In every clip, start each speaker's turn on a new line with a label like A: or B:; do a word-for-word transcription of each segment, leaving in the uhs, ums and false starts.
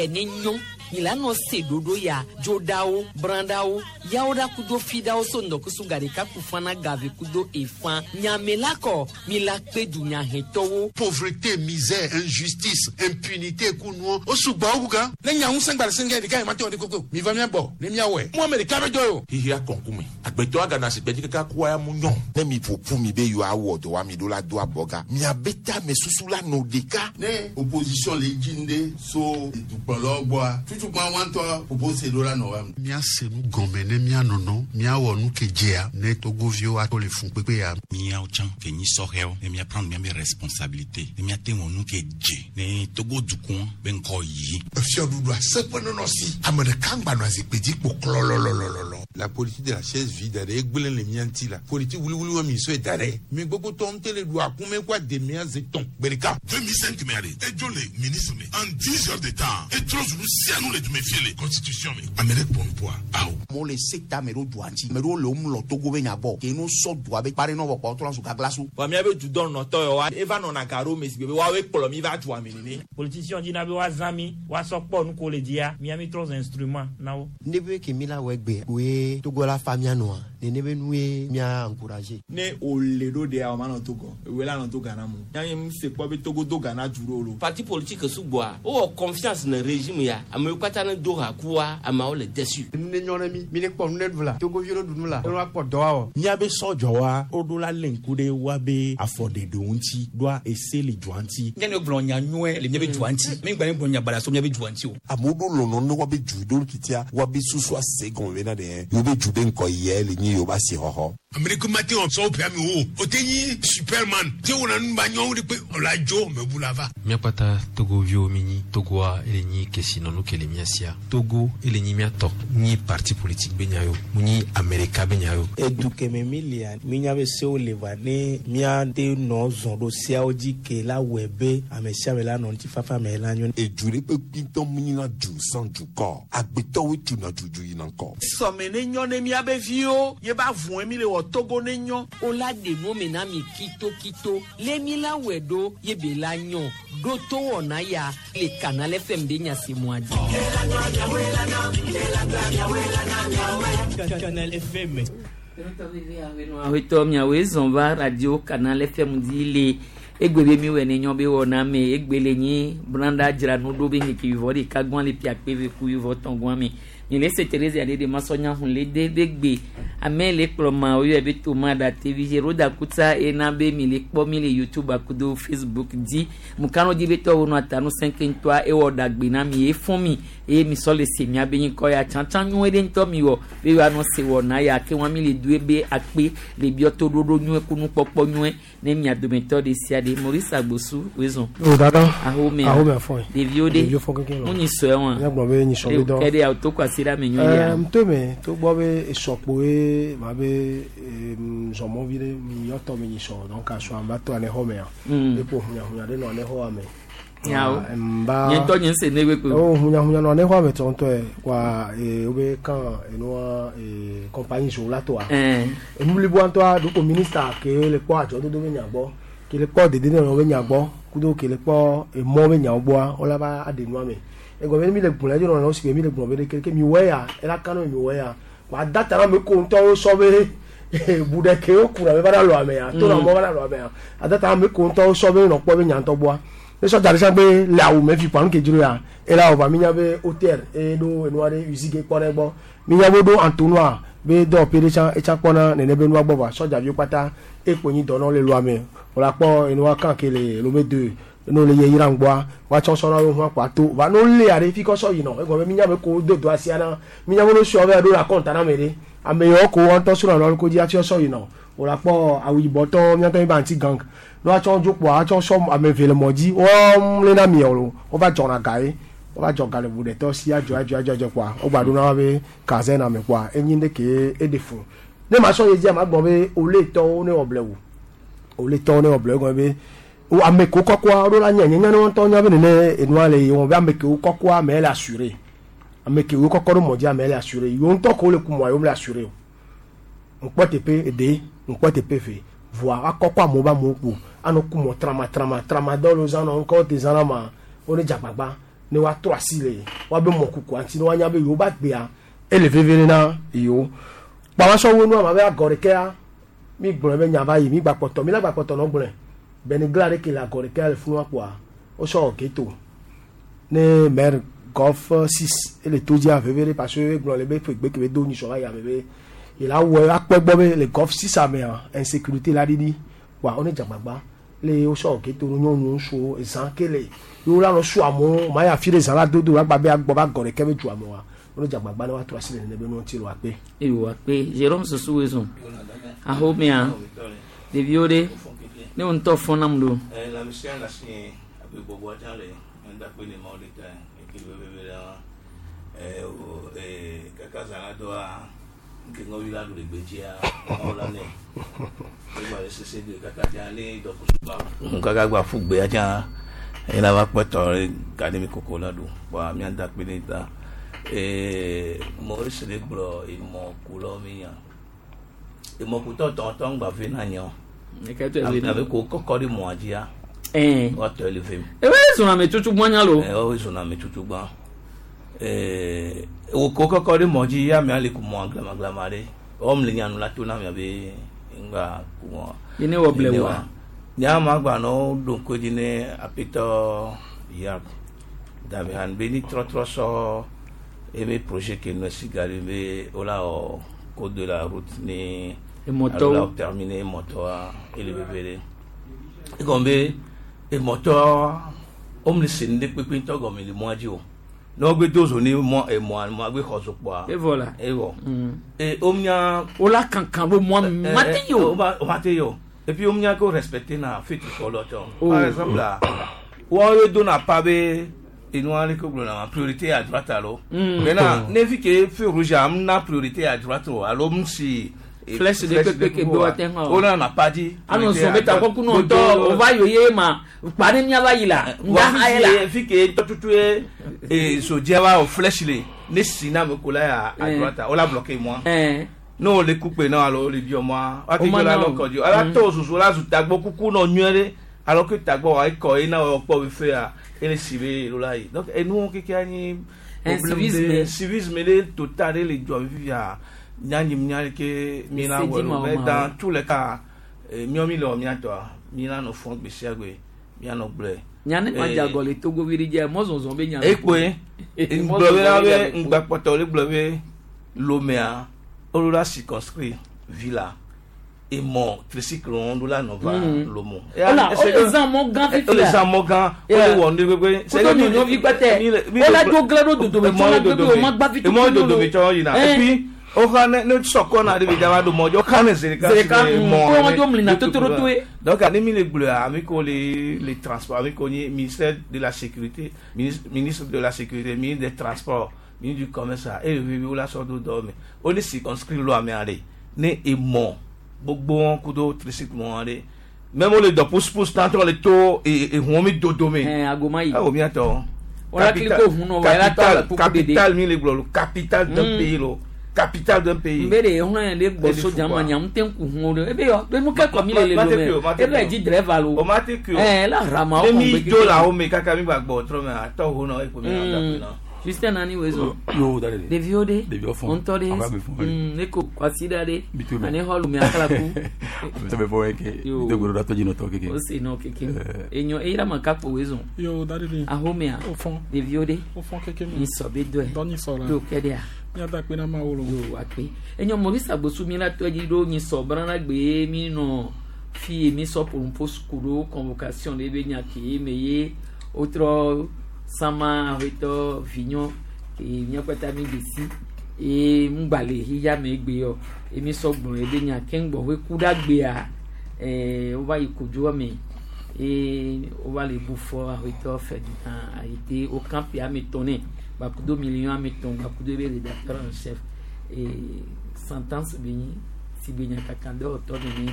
A: ya ne nyɔ mi la nɔ se ɖoɖo ya dzoɖawo branɖawo yawo ɖa kudo fiɖawo so ŋdɔkusu gaɖeka ku fana gave kudo efã nyame la kɔ mi la kpe dunyahetɔwo.
B: Pauvreté, misère, injustice, impunité kunuɔ o sugbɔ wo gan.
C: Ne nya ŋusẽ gba le senge ɖeka yi ma te wɔ ɖe koko mi va mia gbɔ ne miawɔe mu ame ɖeka be dɔ ye o.
D: Xixia kɔnkume agbetɔ agana asigbe dzi kaka kua ya mu nyɔ.
E: Ne mi ƒo mi be yewoawɔ dɔ wa mi ɖo la do abɔga miabe tame susu la nɔ ɖeka.
F: Ne opposition le dzi ŋɖe so dukplɔlawo gbɔa tutukpa wa ŋutɔ propose ɖo la nɔ wa.
B: Míase nu gɔme ne míanɔnɔ míawɔ nu ke dzea ne togoviwo ato le fun kpekpe ya.
G: Míawo tsã ke nyi sɔhɛwo ne mía prendre míabe responsabilité ne míate wɔ nu ke dze ne Togo dukɔ be ŋkɔ yi.
H: Efiɔɖuɖu aseƒe nɔnɔ si ame ɖeka ŋgba nɔ zikpui dzi kpo klɔlɔlɔlɔlɔ.
F: La politique de la chaise vide ɖe egblẽ le mía ŋuti la politique wuliwuli wa mi sɔe da ɖe mi gbogbo tɔ ŋutɔ le ɖu akume kó ademea ze tɔn gbe ɖeka.
I: deux mille cinq me ale edzo le ministre me en dix heures de temps etrɔ zu nu sia nu le dume fie le constitution me ame ɖe kpɔ nupoa awo.
J: Amewo le se ta ame ɖewo dua ŋuti ame ɖewo le wo mlɔ Togo be nya gbɔ ke no sɔ dua be kpa ɖe nɔ vɔ kpa wotrɔ zu gaglasu.
K: Vɔ míabe dudɔnɔtɔ yawoa eva nɔna ga ɖo me si be woawoe kplɔ mi va dua me nene.
L: Politicien dzina be woazã mi woasɔ kpɔ nu ko le dzia mía mi trɔ zu instrument na wo.
M: Ne be ke mi la wɔ egbe koe Togo la fa mía nɔa nene be nue mía encourager.
K: Ne o le ɖo ɖea o ma nɔ Togo ewoe la nɔ to Ghana mo yanyi mu se kpɔ be Togo do Ghana du ɖo lo.
N: Parti politique sugbɔa wowɔ confiance ne régime ya amewo katã ne do ha kua ameawo le déçu.
O: Nu ne nyɔ ne mi mi ne kpɔ nu ne ɖu la togoviwo ɖu nu la ne woakpɔ dɔ awɔ.
P: Míabe sɔdzɔwa woɖo la lé ŋku ɖe woabe afɔɖeɖewo ŋuti ɖoa ese le dua ŋuti.
Q: Nye ne gblɔ nya nyuie le míabe dua ŋuti mi gba ne gblɔ nya baɖa so míabe dua ŋuti o.
E: Amewo ɖo lɔlɔ ne woabe du ɖo kitia woabe susu ase gɔme bena ɖe yewobe du be ŋkɔ yɛ le nyi yewobe asixɔxɔ.
H: Amerika ma te wɔ sɔwɔ ƒe ame wo o te nyi superman te wɔna nu ba nyɔwo de pe o la dzo mɛ bu la va.
R: Míakpata togoviwo mi nyi Togoa ele nyi kesinɔnu ke le mía sia Togo ele nyi mía tɔ nyi parti politique be nya yo mu nyi Amerika be nya yo.
S: Edu keme mi lia minya be sewo le va ne míate nɔ zɔn ɖo seawo dzi ke la wɔe be ame sia ame la nɔ ŋutifafa me la nyo.
E: Edu ɖe kpe kpitɔ mu nyina du sans dukɔ agbetɔwoe tuna dudu yina ŋkɔ.
T: Sɔme ne nyɔ ne míabe viwo ye ba vɔe mi le wɔ Togo ne nyɔ.
A: O la ɖe nu me na mi kitokito le mi la wɔe ɖo ye be la nyɔ ɖo to wɔna ya le Canal F M be nyasemua dzi.
U: Canal F M.
A: Awetɔ miawoe zɔn va radio Canal F M dzi le egbe be mi wɔ ne nyɔ be wɔna me egbe le nyi branda dzra nu ɖo be ŋkeke wivɔ ɖeka gbɔn le pia kpe ve ku wivɔ tɔn gbɔn me mi le se Teresa ɖe de masɔnya hun le de be gbe ame le kplɔ ma woyɔ be toma ɖa T V roda kuta ena be mi le kpɔ mi le YouTube akudo Facebook dzi mukano dzi be tɔwo nɔ atanu sɛnke ŋutɔa ewɔ ɖagbe na mi efɔn mi eye mi sɔ le se mia be nyikɔ ya tsãtsã nyuie ɖe ŋutɔ mi wɔ be woanɔ se wɔna ya ke wɔn mi le do be akpe le biɔ to ɖoɖo nyuie kunu kpɔkpɔ nyuie ne mia dometɔ ɖe sia ɖe Maurice Agbosu wezɔn.
V: O dada.
A: Ahome.
V: Ahome afɔ ye.
A: Ɖeviwo ɖe.
V: Ɖeviwo fɔ kekeŋ lɔ.
A: Mu nyi sɔe wa.
V: Míagblɔ be nyisɔ be dɔ.
A: Ke ɖe awo to kɔ asi ɖe ame nyuie ya.
V: Ɛɛ ŋutɔ togbɔ be esɔkpoe ma be zɔmɔvi ɖe mi yɔtɔ mi nyisɔ donc asɔ amba to anexɔ mea.
A: Mm.
V: Epo hunyahunya ɖe nɔ anexɔ me.
A: Nyawo.
V: Mba.
A: Nye ŋutɔ nye ŋse ne gbe kpe.
V: O hunyahunya nɔ anexɔ me tɔntɔe wa ee wobe kan enua ee compagnie zo la toa.
A: Ɛɛ.
V: Enu bliboa ŋutɔa ɖoko ministre ke le kpɔ adzɔdodo be nya gbɔ ke le kpɔ dedienɔnɔ be nya gbɔ kudo ke le kpɔ emɔ be nyawo gbɔa wola va aɖe nua me egɔme mi le gblɔ edzi nɔ si mi le gblɔ be ɖe ke mi wɔ ya ela kan mi wɔ ya wa da ta na me ko ŋutɔwo sɔ be bu ɖe ke wo kuna be va na lɔ amea to na mɔ va na lɔ amea ada ta ame ko ŋutɔwo sɔ be nɔ kpɔ be nya ŋutɔ gbɔa ne sɔ da ɖe sia be le awu me fi kpa nu ke dzro ya ela wɔ va mi nya be hôtel eye ɖo enua ɖe usine ke kpɔ ɖe gbɔ mi nya be ɖo entonnoir be dɔwɔƒe ɖe tsã etsa kpɔna nene be nua gbɔ va sɔdzaviwo kpata ekpo nyi dɔ nɔ le lɔa me wòle akpɔ enua kan ke le Lomé deux ne le ye yira ŋgbɔa woatsɔ sɔ na wo hu akpa to va ne wolé ya ɖe fi kɔ sɔ yinɔ egɔme be mi nya be ko do do asia na mi nya be no sɔ be ɖo la kɔnta na me ɖe ame yawo ko wɔn ŋutɔ srɔ̃ nɔ ko dzi hafi sɔ yinɔ wòle akpɔ awu yibɔ tɔ miatɔ mi ba anti gang ne woatsɔ dzo kpoa woatsɔ sɔ ame eve le mɔ dzi wɔm lé na miɔ lo wova dzɔna ga ye wova dzɔ ga le ʋu ɖetɔ si adzɔ adzɔ adzɔ adzɔ kpoa wogba ɖo na wa be caserne ame kpoa enyi ɖe ke eɖe fun ne ma sɔ ye dzia ma gbɔ be ole tɔwo ne wɔ blewu ole tɔwo ne wɔ blewu egɔme be wo ame kewo kɔkɔa woɖo la nye nye ne wɔntɔ nya be nene enua le wɔn be ame kewo kɔkɔa ame le assuré ame kewo kɔkɔ ɖo mɔ dzi ame le assuré yewo ŋutɔ kewo le ku mɔa yewo le assuré o ŋkpɔ teƒe eɖe ŋkpɔ teƒe ve voa akɔkɔ amewo be amewo kpo anɔ ku mɔ trama trama trama dɔw le zã nɔ ŋkɔ te zã na ma wo ne dze agbagba ne ne woatrɔ asi le woabe mɔkukua ŋuti ne woanya be yewo ba gbea ele veve na yewo kpamasɔwo nua ma be agɔ ɖekea mi gblɔ be nya va yi mi gba kpɔtɔ mi la gba kpɔtɔ nɔ gblɔe benigla ɖe ke le agɔ ɖekea le funua kpoa wosɔ geto ne maire golf six ele to dzia veve ɖe parce que egblɔ le be ƒe gbe ke be do nyisɔ va yi ame be il a wɔ akpɔ gbɔ be le golf six amea insécurité la ɖiɖi kpoa wo ne dzagbagba le wosɔ geto no nyɔnuwo ŋutsuwo ezã ke le yewo la nɔ su amewo ma ya fi ɖe zã la dodo agba be agbɔ va gɔ ɖeke be du amewoa wo ne dzagbagba ne woatrɔ asi le nene be nuwo ŋuti le woakpe.
A: Eyo akpe Jérôme Sossou wezo ahomea ɖeviwo ɖe ne wo ŋutɔ fɔ nam ɖo.
D: La mission la si abe gbɔgbɔ tsa le ŋdakpe ne mawo ɖeka eke le veve ɖe wa ɛ o ɛ kaka zã la doa nke ŋɔvi la ɖu le gbedzia mawo la nɛ egba le sese de kaka dza ne dɔkusu ba. Kaka gba ƒu gbea tsa eye la va kpɔ tɔ ɖe ga ɖe mi koko la ɖu kpɔa mía dakpe ne ta ee Maurice le gblɔ emɔkulɔ mi nya emɔkutɔ tɔntɔn gba ve na nyɔ abe ko kɔkɔ ɖe mɔa dzia woatɔ le vem.
A: Ewe zɔn ame tutu gbã nya lo.
D: Ɛ wo zɔn ame tutu gbã ee wo ko kɔkɔ ɖe mɔ dzi ya amea le ku mɔa glamaglama ɖe wɔm le nyanu la to na mia be ŋgba ku mɔa.
A: Yene wɔ ble wa.
D: Nyama gba nɔ ɖo ŋku dzi ne apetɔ ya Damian be ni trɔtrɔ sɔ ebe projet ke nɔ si gari be wola wɔ code de la route ni
A: Emɔtɔwo.
D: alo la terminer emɔtɔa ele veve ɖe egɔme be emɔtɔ wome le se nu ɖe kpekpe ŋutɔ gɔme le mɔa dzi o ne wogbe do zo ne mɔ emɔa mɔa gbe xɔ zo kpoa
A: Evɔ la.
D: evɔ e womenya
A: wola kankan ɖo mɔa mate yi o.
D: o mate yi o et puis womenya ko respecter na feu tricolore tɔ
A: Oh.
D: par exemple la wɔn ye dona pa be enua le ko gblɔna ma priorité à droite alo
A: Mm.
D: maintenant ne fi ke feu rouge am na priorité à droite o alo m si
A: Flèche de kpekpe ke be woate ŋu awɔ.
D: o na na pa dzi
A: Anɔ zɔn be takɔku nɔ ŋutɔ o va yoye ma kpa ne mía va yi la ŋda ha ye la.
D: fi ke tɔtutu ye e sodzia va o flèche le ne si na me ko la ya à
A: Eh.
D: droite o la bloqué moi
A: Eh.
D: n'o le kukpe na alo le bi mɔ wa
A: O
D: ke
A: ma
D: jɔ la
A: na o.
D: lɔ kɔdzi ala
A: Mm.
D: tɔ soso la zu tagbɔ kuku nɔ nyuie ɖe alors que tagbɔ wa ekɔ ye na wɔ kpɔ be fe ya ele si be elo la yi donc enuwo keke anyi
A: Un
D: problème
A: civisme.
D: de civisme ɖe total ɖe le dua me fifia nyanyi nya ke mi na wɔ
A: Ese dzi
D: lo
A: ma
D: mais
A: o ma
D: dans
A: o.
D: tous les cas eh, miɔ mi le wɔ miatɔa mi na nɔ fɔ gbe sia gbe mia nɔ gblɔe.
A: Nya ne ma
D: Eh,
A: dze agɔ le Togo vi ɖe dzia mɔzɔzɔ be nya.
D: ekpoe ŋgblɔ be la be ŋgbakpɔtɔ le gblɔ be lomea wolo la circonscrit villa emɔ tricycle wɔn ɖo la nɔ va
A: Mm.
D: lomo.
A: Ola, wole zã mɔ gã fifi
D: Wole
A: la.
D: zã mɔ gã
A: Yeah.
D: wole wɔ nu gbegbe.
A: Kudo nyɔnuvi kpɛtɛ. Wola do gle ɖo dodome tsɔ la gbe be wo ma gba fi
D: emɔ
A: tutu
D: dodome tsɔ yina
A: Eh.
D: et puis woxa ne ne sɔkɔ na ɖe bi dza va ɖo mɔ dzi woxa ne zereka
A: Zereka,
D: si le
A: mm,
D: mɔ
A: ko
D: ene.
A: wɔn dzo mlina totorotoe.
D: Donc ani mi le gblɔa ami ko le le transport ami ko nye ministère de la sécurité ministre ministre de la sécurité ministre des transports ministre du commerce a eye vivi wo la sɔ do dɔ me wo ne circonscrit lɔ amea ɖe ne emɔ gbogbo wɔn kudo tricycle wɔn ɖe même wo le dɔ pousse-pousse tantɔ le to e ehuɔ mi dodome.
A: Ɛn agoma yi.
D: Awo miatɔ.
A: Wala kiliko hun nɔ wa, ela tɔ
D: capital
A: la kuku dede.
D: capital mi le gblɔ lo capital d'un
A: Mm.
D: pays lo capital d'un pays.
A: Nbe de ehun le gbɔ soja ma nya ŋute ŋku hun o de ebe yɔ be nu kɛkɔ mi le le
D: Ma- ma te
A: lome
D: kui o, ma te
A: ebe
D: kui o.
A: dzi drɛva lo.
D: O ma te kui o.
A: Ɛn la rama
D: Ne
A: wo
D: mi
A: kɔn
D: dzo le awo me kaka mi gba gbɔ trɔ me atɔ ho nɔ ekpo mi na da
A: Mm.
D: pe na.
A: Justin nani wezo.
Q: Yo, da de.
A: Ɖeviwo ɖe.
Q: Ɖeviwo fɔn.
A: Ŋutɔ ɖe.
Q: Ava be fɔn ɖe.
A: Mm, ne ko kwasiɖa ɖe.
Q: Mi to me.
A: Ane xɔ lome akalaku.
Q: Sɛ bɛ fɔ ke.
A: Yo.
Q: De gbɔdɔ tɔ dzi nɔtɔ keke.
A: O si nɔ keke. Enyo eyira ma kakpo wezo.
C: Yo, da de.
A: Ahomea.
C: O fɔn.
A: Ɖeviwo ɖe.
C: O fɔn keke mi.
A: Nyisɔ be dɔe.
C: Dɔ nyisɔ la.
A: Do kɛ ɖea.
C: Míada kpe na Mawu lo.
A: Yo akpe. Enyo Maurice Agbosu mi la tɔ dzi ɖo nyisɔ brana gbe mi nɔ fi mi sɔ pompo suku ɖo convocation ɖe be nya ke me ye wotrɔ sama aƒetɔ vinyɔ ke míakpata mi de si eye ŋgba le xixia me gbe yɔ emi sɔ gblɔ ebe nya ke ŋgbɔ ƒe ku ɖa gbea ɛɛ wova yi kodzo me eye wova le bu fɔ aƒetɔ Ferdinand Ayité wo kampi ame etɔ̃ nɛ gbakudo million ame etɔ̃ gbakudo ebe rédacteur en chef ee sentence be nyi si be nya kaka dɔwɔtɔ nene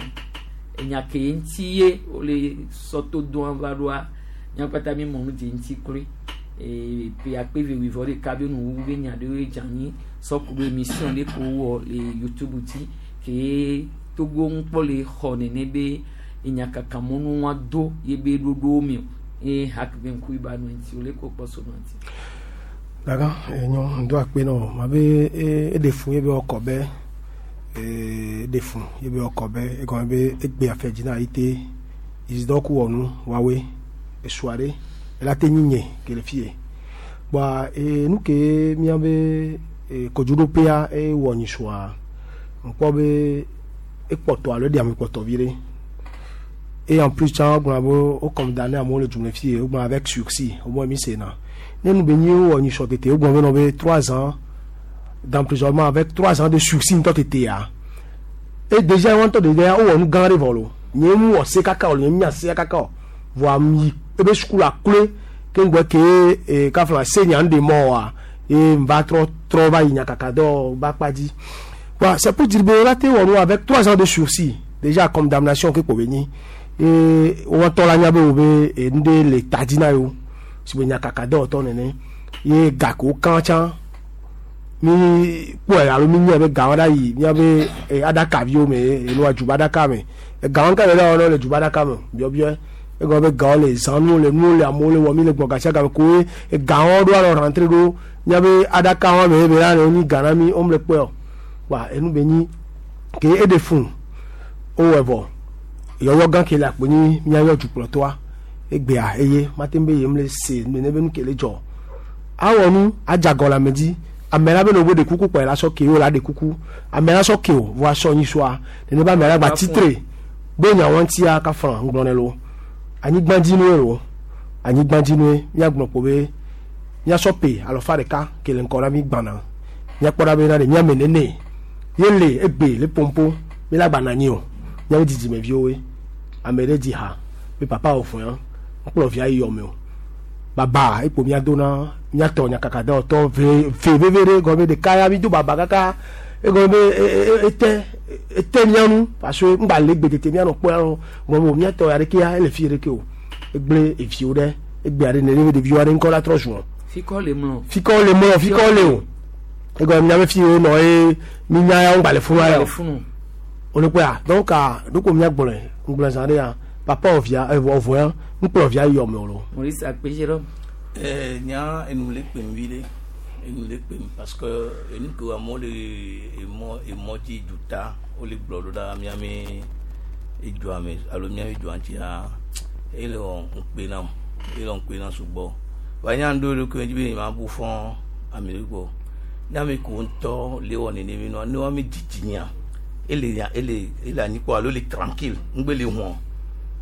A: enya ke ŋuti ye wole sɔto doa va ɖoa míakpata mi mɔ nu dze ŋuti kloe ee pe akpe ve wuivɔ ɖeka be nuwuwu be nya ɖewoe dze anyi sɔku ɖo émission ɖe ko wɔ le youtube dzi ke togo ŋukpɔ le xɔ nene be enyakakamɔnu wa do ye be ɖoɖowo me o. Ye hak be ŋku iba nu ŋuti o le ko kpɔ so nu ŋuti.
V: Daga enyo ŋdɔ akpe nɔ ma be eɖe fun ye be ɔkɔ be eɖe fun ye be ɔkɔ be egɔme be egbe afɛ dzi na yi te izidɔ ku wɔnu wawoe esua ɖe ela te nyi nye ke le fie bɔa e nu ke míabe e kodzoɖoƒea ewɔ nyisua ŋkpɔ be ekpɔtɔ alo eɖe ame kpɔtɔ vi ɖe et en plus tsã wogblɔna be wo condamné amewo le dzume fie wogblɔna avec sursis au moins mi sena ne nu be nyi wowɔ nyisɔ tete wogblɔ be nɔ be trois ans d'emprisonnement avec trois ans de sursis ŋutɔ tetea et déjà wɔn ŋutɔ déjà wowɔ nu gã ɖe vɔ lo nye mu wɔ se kaka o nye nya se kaka o voa mi ebe sukula kloe ke ŋgbɔ ke e kafla se nya ŋɖe mɔ wa ye va trɔ trɔ va yi nyakaka dɔ ba kpa dzi wa c'est pour dire be la te wɔ nu avec trois ans de sursis déjà condamnation ke kpo be nyi ye wɔtɔ la nya be wo be nu ɖe le ta dzi na yewo si be nyakaka dɔwɔtɔ nene ye gako kan tsã mi kpɔe alo mi nye be gawo ɖa yi miabe aɖakaviwo me alo adzuba ɖaka me gawo ka le ɖe wɔnɔ le dzuba ɖaka me biɔbiɔ egɔme be gawo le zã nuwo le nuwo le amewo le wɔ mi le gbɔ gasia game koe gawo ɖo alɔ rentre ɖo miabe aɖaka wɔme ebe la le nyi ga na mi wo le kpɔe o wa enu be nyi ke eɖe fun wowɔe vɔ yɔyɔ gã ke le akpo nyi miayɔ dukplɔtɔa egbea eye mate be yem le se nene be nu ke le dzɔ awɔ nu adzagɔ le ame dzi ame la be ne wo ɖe kuku kpɔ la sɔ ke wo la ɖe kuku ame la sɔ ke o vɔ asɔ nyisua nene be ame la gba titre be nyawo ŋutia kafra ŋgblɔ ne lo anyigbadzinue lo anyigbadzinue miagblɔ kpo be miasɔ pe alɔfa ɖeka ke le ŋkɔ na mi gbana miakpɔ ɖa be na ɖe miame nene ye le egbe le pompo mi la gbana nyi o miabe dzidzimeviwoe ame ɖe dzi ha be papa wò fún ya ŋkplɔ via yi yɔme o baba ekpo mia do na miatɔ nyakaka dɔwɔtɔ ve ve veve ɖe gɔme ɖeka ya mi do baba kaka egɔme be ete ete mianu parce que ŋgba le gbe tete mianɔ kpɔ ya gɔme o miatɔ ya ɖeke ya ele fi ɖeke o egble eviwo ɖe egbea ɖe nene ɖeviwo aɖe ŋkɔ la trɔ zuɔ.
A: Fikɔ le mlɔ.
V: Fikɔ le mlɔ fikɔ le o egɔme miabe fi wo nɔ ye mi nya ya ŋgba le funu ya o o le kpɔa donc ɖoko miagblɔe ŋgblɔ zã ɖe ya papa ɔvia ɔvɔ ya ŋkplɔ via yɔme o lo.
A: Maurice Akpejero.
D: Eh, nya enu le kpem vi ɖe enu le kpem parce que enu ke amewo le emɔ emɔ dzi duta wole gblɔ ɖo ɖa miame edua me alo miame dua ŋutia ele wɔ ŋukpe nam ele wɔ ŋukpe nam sugbɔ wa nya ŋɖo ɖokui dzi be nye ma bu fɔ ame ɖe gbɔ ne ame ko ŋutɔ le wɔ nene nua ne wɔme dzidzi nya ele nya ele ele anyi kpɔ alo le tranquille ŋgbe le hɔn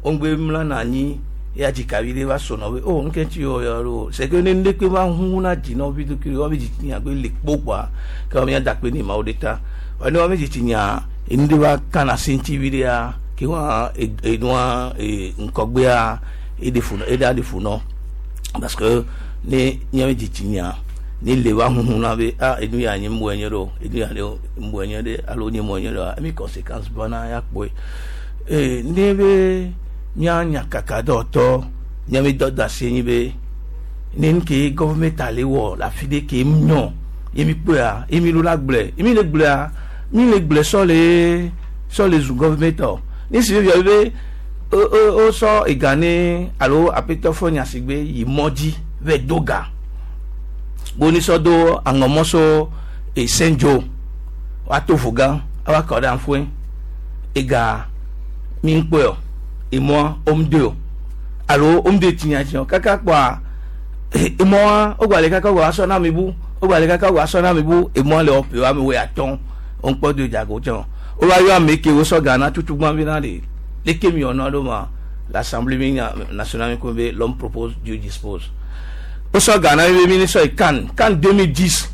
D: wo ŋgbe mlana anyi ya dzikavi ɖe va sɔnɔ be o nuke ŋuti yɔ ya ɖo c'est que ne ŋɖe kpe va hu na dzi na vi ɖokui wɔme dzidzi nya be le kpo kpoa ke wɔme ya da kpe ne mawo ɖe ta wa ne wɔme dzidzi nya enu ɖe va kana se ŋuti vi ɖea ke wa enua ŋkɔgbea eɖe fu eɖe aɖe fu nɔ parce que ne míabe dzidzi nya ne le va huhu na be ah enu ya nye mu enye ɖo enu ya ne mu enye ɖe alo nye mu enye ɖoa emi conséquence bana ya kpɔe ee ne be mía nyakaka dɔwɔtɔ míabe dɔ da asi nyi be ne nu ke gɔvɛmɛnt ale wɔ le afi ɖe ke nyɔ ye mi kpɔea ye mi ɖo la gblɔe ye mi le gblɔea mi le gblɔe sɔ le sɔ le zu gɔvɛmɛnt ne si be be o o o sɔ ega ne alo aƒetɔ fɔ nyasigbe yi mɔ dzi vɛ do ga boni sɔ do aŋɔmɔ so esendzo woato vo gã awa kɔ ɖe aƒue ega mi ŋkpɔe o emɔ womde o alo womde tinyatinyɔ kaka kpɔa emɔa wogba le kaka wogba sɔ na ame bu wogba le kaka wogba sɔ na ame bu emɔa le wɔƒe ame wo atɔ woŋkpɔ do dzago tsɛ wova yɔ ame ke wosɔ ga na tutugbã vi na de leke mi wɔna ɖo ma l'assemblée mi nationale mi ko be l'homme propose Dieu dispose wosɔ ga na mi be mi ni sɔ yi CAN CAN deux mille dix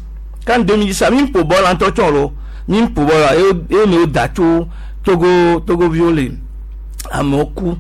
D: CAN deux mille dix mi ƒo bɔl ŋutɔ tsɔ lo mi ƒo bɔl la eye mi wo da tso Togo Togo viwo le amewo ku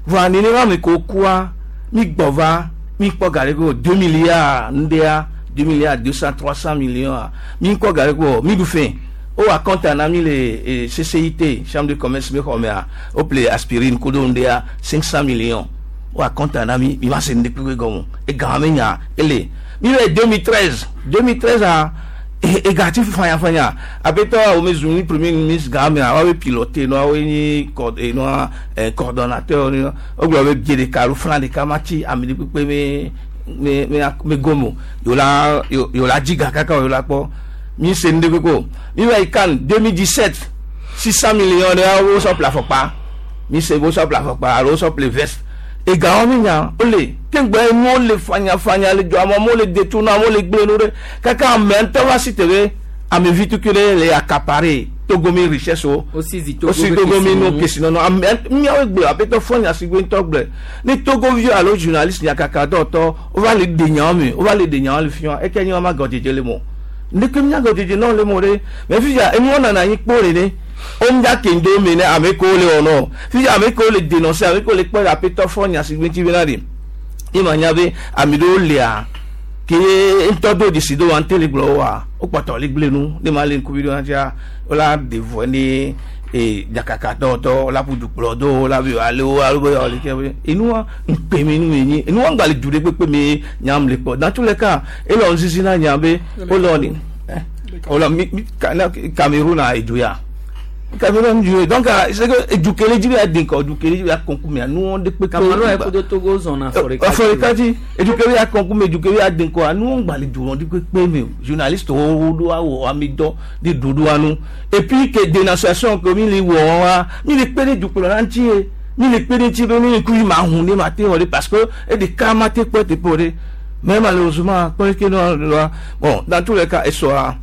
D: vɔa nenema ame kewo kua mi gbɔ va mi kpɔ ga ɖe ko deux milliards ŋɖea deux milliards deux cent trois cent millions mi kpɔ ga ɖe ko mi ɖu fɛ o wa compte na mi le C C I T chambre de commerce mi xɔ mea o ple aspirine kudo ŋɖea cinq cent millions o wa compte na mi mi ma se ŋɖe kpekpe gɔme ega me nya ele mi le deux mille treize deux mille treize a Egati fanyafanya apetɔ wo me zu ni premier ministre game a wa pilote no wa ni no coordonnateur ni o gblɔ be bie ɖeka alo flan ɖeka ma tsi ame ɖe kpekpe me me me me gomo yo la yo la dzi ga kaka yo la kpɔ mi se nu ɖe kpekpe o mi va yi kan deux mille dix-sept six cent millions ɖe wo sɔ ƒle afɔkpa mi se wo sɔ ƒle afɔkpa alo wo sɔ ƒle veste egawo mi nya ole kengbe nuwo le fanyafanya le dzɔ amewo le détourner amewo le gblẽ nu ɖe kaka ame ŋutɔ va si te be ame vi tukui ɖe le accaparer Togo mi richesse wo
A: osi
D: Togo mi nu kesinɔnɔ ame miawo gblɔ aƒetɔ fɔ nya si gbe ŋutɔ gblɔ ne Togo vi alo journaliste nyakaka dɔtɔ wova le de nyawo me wova le de nyawo le fiɔ eke nye wɔma gɔdzedze le mo ndeke mía gɔdzedze nɔ le mo ɖe mɛ fifia enuwo nana anyi kpo le ɖe omdia kendo me ne ame kewo le wɔ nɔ fifia ame kewo le dénoncer ame kewo le kpɔ aƒetɔ fɔ nya si gbe ŋuti bena ɖe ye ma nya be ame ɖewo lia ke ŋutɔ do dzesi do wa ŋute le gblɔ woa wokpɔtɔ le gblẽ nu ne ma le ŋkuvi ɖo ŋutia wola de vɔ ne ee dzakaka dɔwɔtɔ wola ƒu du kplɔ do wola be ale wo alo be ale ke be enua ŋkpe mi nu mi nyi enua ŋgba le du ɖe kpekpe mi nyam le kpɔ dans tous les cas elɔ ŋzizi na nya be wolɔ ni wolɔ mi mi Cameroun a edu ya Cameroun du donc c'est que edukele dzi be adi ŋkɔ edukele dzi be akɔnku mea nuwo ɖe kpekpe.
A: Cameroun yɛ kudo Togo zɔna afɔɖeka
D: dzi afɔɖeka dzi edukele be akɔnku me edukele be adi ŋkɔa nuwo ŋgba le du ɖe kpekpe me o journaliste wo ɖo awɔ ami dɔ de ɖoɖoa nu et puis que dénonciation que mi le wɔ wa mi le kpe ɖe dukplɔla ŋuti ye mi le kpe ɖe ŋuti be ne ŋkuvi ma hu ne ma te wɔ ɖe parce que eɖeka ma te kpɔ teƒe o ɖe mais malheureusement kpɔ ke nɔ bon dans tous les cas esɔa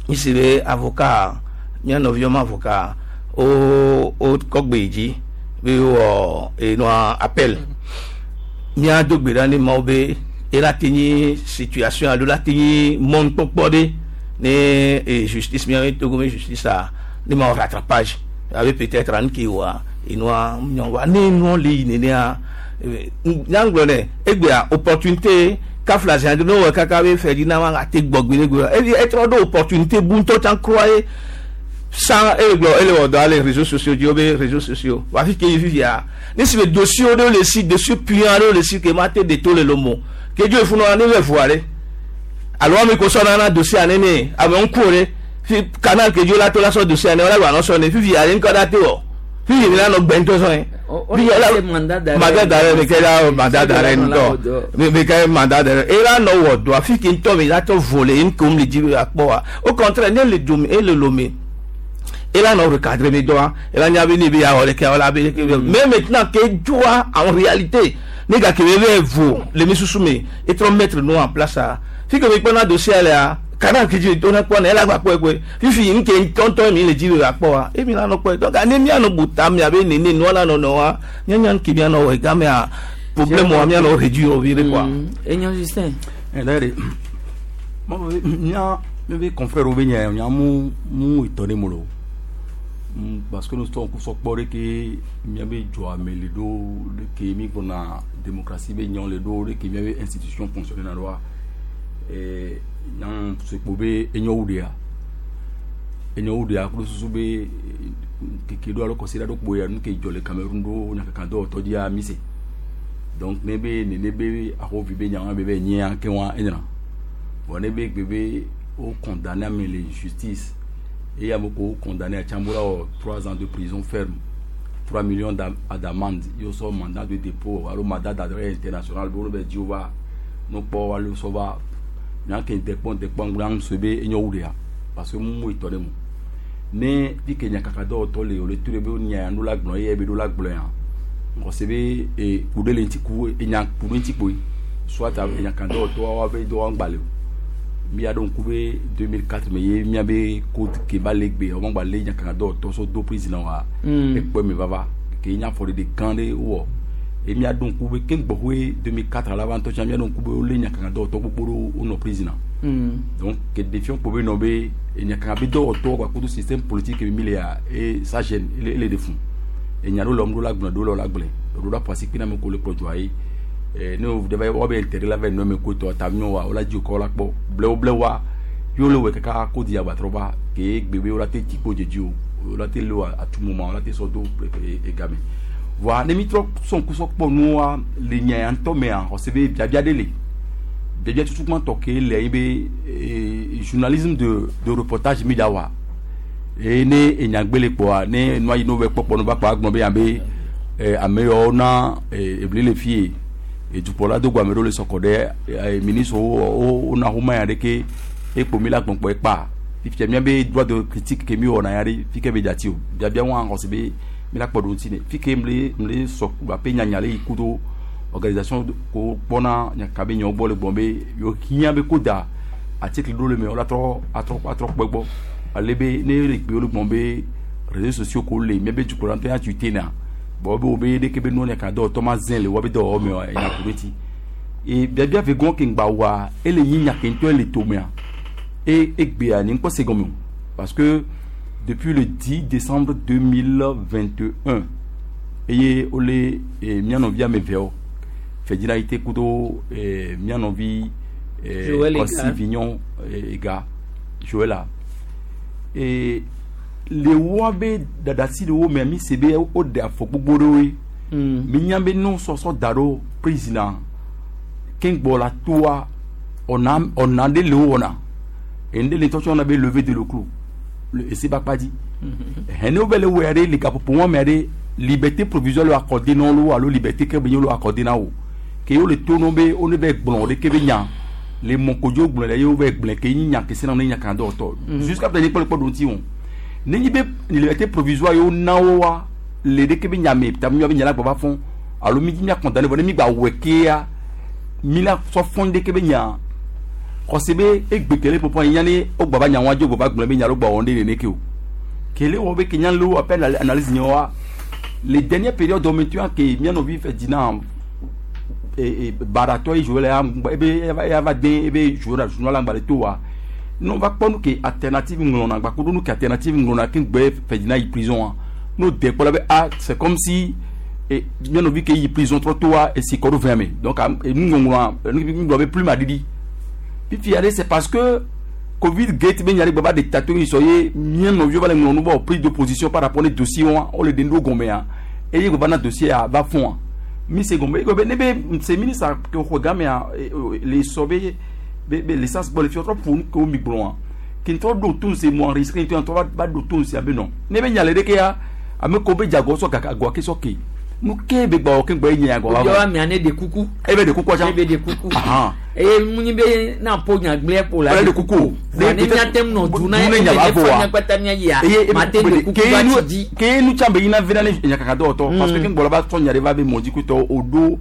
D: mi si be avocat mía nɔviwo ma avocat wo wo kɔ gbe dzi be wɔ enua appel mía do gbe ɖa ne mawo be ela te nyi situation alo la te nyi mɔnukpɔkpɔ ɖe ne e justice mía Togo me justice a ne ma wɔ rattrapage abe peut-être anu ke wɔa enua nyɔ wa ne enua le yi nenea nyagblɔ nɛ egbea opportunité kafla zia ne wɔ kaka be Ferdinand ma ate gbɔ gbe ɖe gbe ebi etrɔ ɖo opportunité bu ŋutɔ tsã kura ye sans ele gblɔ ele wɔ dɔ ale réseaux sociaux dzi wo be réseaux sociaux wa fi ke yi fifia ne si be dossier ɖewo le si dossier puant ɖewo le si ke ma te de to le lomo ke dzo efunu ne bɛ voa ɖe alo ame ko sɔ nana dossier nene ame ŋku ɖe fi canal ke dzo la to la sɔ dossier ne wala gba nɔ sɔ ne fifia ɖe ŋkɔ da te wɔ fifi mi la nɔ gbɛ ŋutɔ sɔ ye mandat d'arrêt mi kɛ la mandat d'arrêt ŋutɔ mi kɛ mandat d'arrêt e la nɔ wɔ dɔa fi ke ŋutɔ mi la tɔ volé ŋkom le dzi akpɔ wa au contraire ne le dome ele lome et là on recadre mes doigts et là il y avait ni bien mais maintenant que doit en réalité les gars qui veulent vous les mis et trop mettre nous en place ça si que me prend dossier là kana qui dit on a quoi elle a quoi quoi fifi une qui tonton mi le dit la quoi et mi là non quoi donc ani mi ano buta mi avait néné no là non non nya nya qui bien no game a problème moi mi ano réduire au viré quoi
A: et nya Justin
Q: eh d'ailleurs moi nya mes confrères au nya nya mu mu étonné molo parce que nous sommes sɔkpɔ ke miabe dzɔame le ɖo ɖe ke mi gbɔna démocratie be nyawo le ɖo ɖe ke miabe institution fonctionner na ɖoa ee nyaŋ sekpo be enyo ɖea enyo ɖea kple susu be keke ɖo alo kɔsi ɖe ɖo kpo ya nu ke dzɔ le Cameroun ɖo nyakaka dɔwɔtɔ dzia mi se donc ne be nene be ahovi be nyawo be be nyia ke wa enyina bon ne be gbe be wo condamné ame le justice et il y a beaucoup condamné à Tchamboura trois ans de prison ferme, trois millions d'amende. Il y a un mandat de dépôt, alors mandat d'arrêt international, bon ben Dieu va, nous pas aller ça va, n'y a qu'un dépôt dépôt grand se be et n'y a parce que moi étonné moi. Ne dit que n'y a qu'à d'or tolé, le tout le be n'y a nous la gblon, y a be la gblon. On se be et couder l'anti coup et n'y a pour l'anti coup. Soit n'y a qu'à d'or toi va be d'or en balé. Mi a donc coupé deux mille quatre mais il y avait code qui va les on va les Canada tout deux présidents wa et puis me va va qui y a for des grands ou et mi a donc coupé quinze deux mille quatre à l'avant tout mi a donc coupé les Canada tout pour nos présidents donc que défiant pour nommer et y a qu'un bidon autour quoi tout système politique et mille et ça gêne il est de fond et y a l'homme la la la la parce qu'il n'a pas le produit ne vous devez avoir intérêt là vers nous mais quoi toi tamion wa ola di ko la po bleu bleu wa yo le kaka ko di abatroba ke bébé ola te tipo de Dieu ola te lo à tout moment ola te sodo et gamin voilà ne mi trop son coup so po nous le nya anto mais en recevez bia bia délé bia bia tout comment toquer les be journalisme de de reportage mi da wa eye ne enyagbe le kpɔa ne nua yi ne wo kpɔkpɔ no va kpɔ agblɔ be yan be eh, ame yawo na eh, ebli le fie edukplɔla do go ame ɖewo le sɔkɔ ɖe eh, ministre wo wo wona xɔma ya ɖe ke ekpo mi la gbɔnkpɔ ekpa fifia mía be droit de critique ke mi wɔna ya ɖe fi ke be dzati o biabia wɔn xɔse be mi la kpɔ ɖo ŋuti ne fi ke mle mle sɔ ape nyanya le yi ku do organisation ko kpɔna nyaka be nyawo gbɔ le gbɔn be yewo hiã be ko da article ɖo le me wala trɔ atrɔ atrɔ kpɔ gbɔ ale be ne le gbe wo le gbɔn be réseaux sociaux ko le mía be dukplɔla ŋutɔ ya tweeté na bon be wo be ɖeke be nua nyaka dɔ tɔ ma zẽ le woabe dɔwɔwɔ me wa enya ku ɖe ti e biabia ve gɔn ke ŋgba wa ele nyi nya ke ŋutɔ le tomea e egbea nye ŋkpɔ se gɔme o parce que depuis le dix décembre deux mille vingt et un eye wole e, mía nɔvi ame eveawo Ferdinand Ayité kudo e, mía nɔvi e,
A: Joël Ega.
Q: Kɔsi Vignon e, Ega Joël e le woabe dadasi le wo mea mi se be woɖe afɔ gbogbo ɖewoe mi nya be nu sɔsɔ da ɖo président keŋgbɔ la toa ɔna ɔna ɖe le wo wɔna ene le tɔtɔ na be lever de le clou le ese ba kpa dzi hɛn ne wo bɛ le wɔe ɖe le gaƒoƒo wɔn mea ɖe liberté provisoire le accordé na wo alo liberté ke be nye wo le accordé na wo ke wo le to no be wo ne bɛ gblɔ ɖe ke be nya le mɔkodzo gblɔ le ye wo bɛ gblẽ ke nyi nya ke se na ne nya kan dɔ tɔ jusqu'à présent kpɔ le kpɔ ɖo ŋuti o ne nyi be liberté provisoire yewo na wo wa le ɖeke be nya me ta mi be nya la gbɔ va fɔn alo mi dzi mia condamné vɔ ne mi gba wɔe kea mi la sɔ fɔn ɖeke be nya xɔse be egbe kele pɔpɔ yi nya ne wo gbɔ va nya wa dzo gbɔ va gblɔ be nya lo gbɔ wɔn ɖe nene ke o kele wɔ be ke nya lo appel analyse nye wa les dernières périodes maintenant ke mia nɔvi Ferdinand baratɔ yi jouer la ebe ya va den ebe jouer la journal la ŋgba le to wa ne va kpɔ nu ke alternative ŋlɔna gba kudo nu ke alternative ŋlɔna ke gbe Ferdinand yi prison wa n'o de kpɔ la be ah, c'est comme si e mia nɔvi ke yi prison trɔ to wa esi kɔ ɖo vɛn me donc nu ŋɔŋlɔa nu gblɔ be plume aɖiɖi fifi ale c'est parce que Covid gate be nya ɖe gba va de tato yi sɔ ye mia nɔviwo va le ŋlɔ nu bɔ prise de position par rapport ne dossier wa wo le ɖe nu ɖo gɔmea eye gba va na dossier a va fɔn wa mi se gɔme eye be ne be se ministre ke xɔ gamea le sɔ be be be l'essence gbɔ le fi trɔ ƒo nu ke wo mi gblɔ wa ke ŋutɔ ɖo to se mo enregistré ŋutɔ ŋutɔ va va ɖo to se abe nɔ ne be nya le ɖeke ya ame ko be dzago sɔ gaka agɔ ke sɔ ke nu ke be gbɔ ke gbɔ ye nye agɔ
A: va. Obiɔ amea ne de kuku.
Q: Ebe de kuku atsa.
A: Ebe de kuku. Eye munyi be na po nyagblẽ po la.
Q: Ele de kuku.
A: Vɔ ne miate ŋu nɔ du na ye ne fa miakpata miayia mate de kuku va tsi dzi.
Q: Ke nu tsã be yina vi na ne nyakaka dɔwɔtɔ parce que ke ŋgbɔ la va tsɔ nya ɖe va be mɔdzikutɔ o ɖo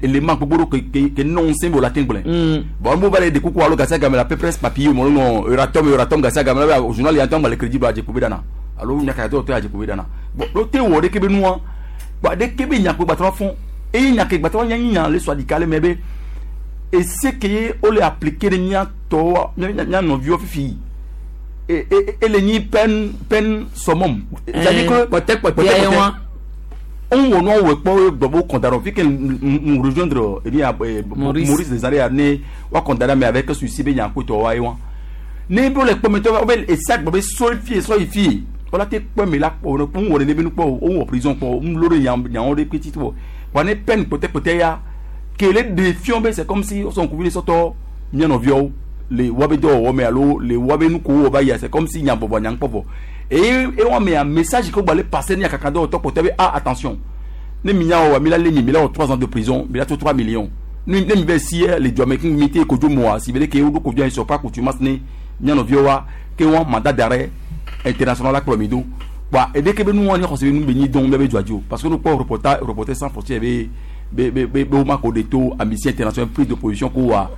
Q: élément gbogbo ɖo ke ke ke nɔ ŋusẽ be o la te gblẽ. Bon mo va le de kuku alo gasi game la peu près papier mo ŋɔ Euratom Euratom gasi game la be journal ya ŋutɔ ŋgba le crédit do adze be dana alo nyakaka dɔwɔtɔ adze be dana bon ɖo te wɔ ɖeke be nua gba ɖeke be nyakpe gbatrɔ fɔ eye nyake gbatrɔ nya nya le sɔ adika le me be ese ke ye wole appliquer ɖe mía tɔwo mía nɔviwo fifi e e ele nyi peine peine summum.
A: C'est-à-dire que kpɔtɛ ye wa.
Q: On wɔ nua wɔ kpɔ gbɔ be condamné fi ke nous rejoindre eh bien
A: Maurice
Q: Maurice Desaré ne wa condamné mais avec celui-ci be nya ko tɔ wa ye wa ne be wole kpɔ me tɔ be esi agbɔ be sɔ fi sɔ yi fi wala te kpɔ me la kpɔ n wɔ ne be nu kpɔ o wɔ prison kpɔ n lo ɖe nya nyawo ɖe kpetsi to wa ne peine kpɔtɛ ya kele de fiɔn be c'est comme si wosɔ ŋkuvi ɖe sɔtɔ mía nɔviawo le woabe dɔwɔwɔ me alo le woabe nu ko wɔ va yia, c'est comme si nya bɔbɔ nya ŋkpɔ vɔ eye ewɔ mea message ke gba le passer ne yakaka dɔwɔtɔ kpɔtɛ be ah, attention, ne mi nya wɔ mi la le mi mi la wɔ trois ans de prison, mi la to trois millions ne ne mi bɛ si le dua me kun mi te kodzo moa si be ke wo ɖo kodzo yi sɔ pa contumace ne mía nɔviawo wa ke wɔn mandat d'arrêt international la kplɔ mi do wa eɖe ke be nu wɔn nye xɔse be nu be nyi dɔn bɛ be dua dzi o parce que no kpɔ reporter reporter sans frontières be be be be be wo ma ko de to Amnesty International prise de position ko wa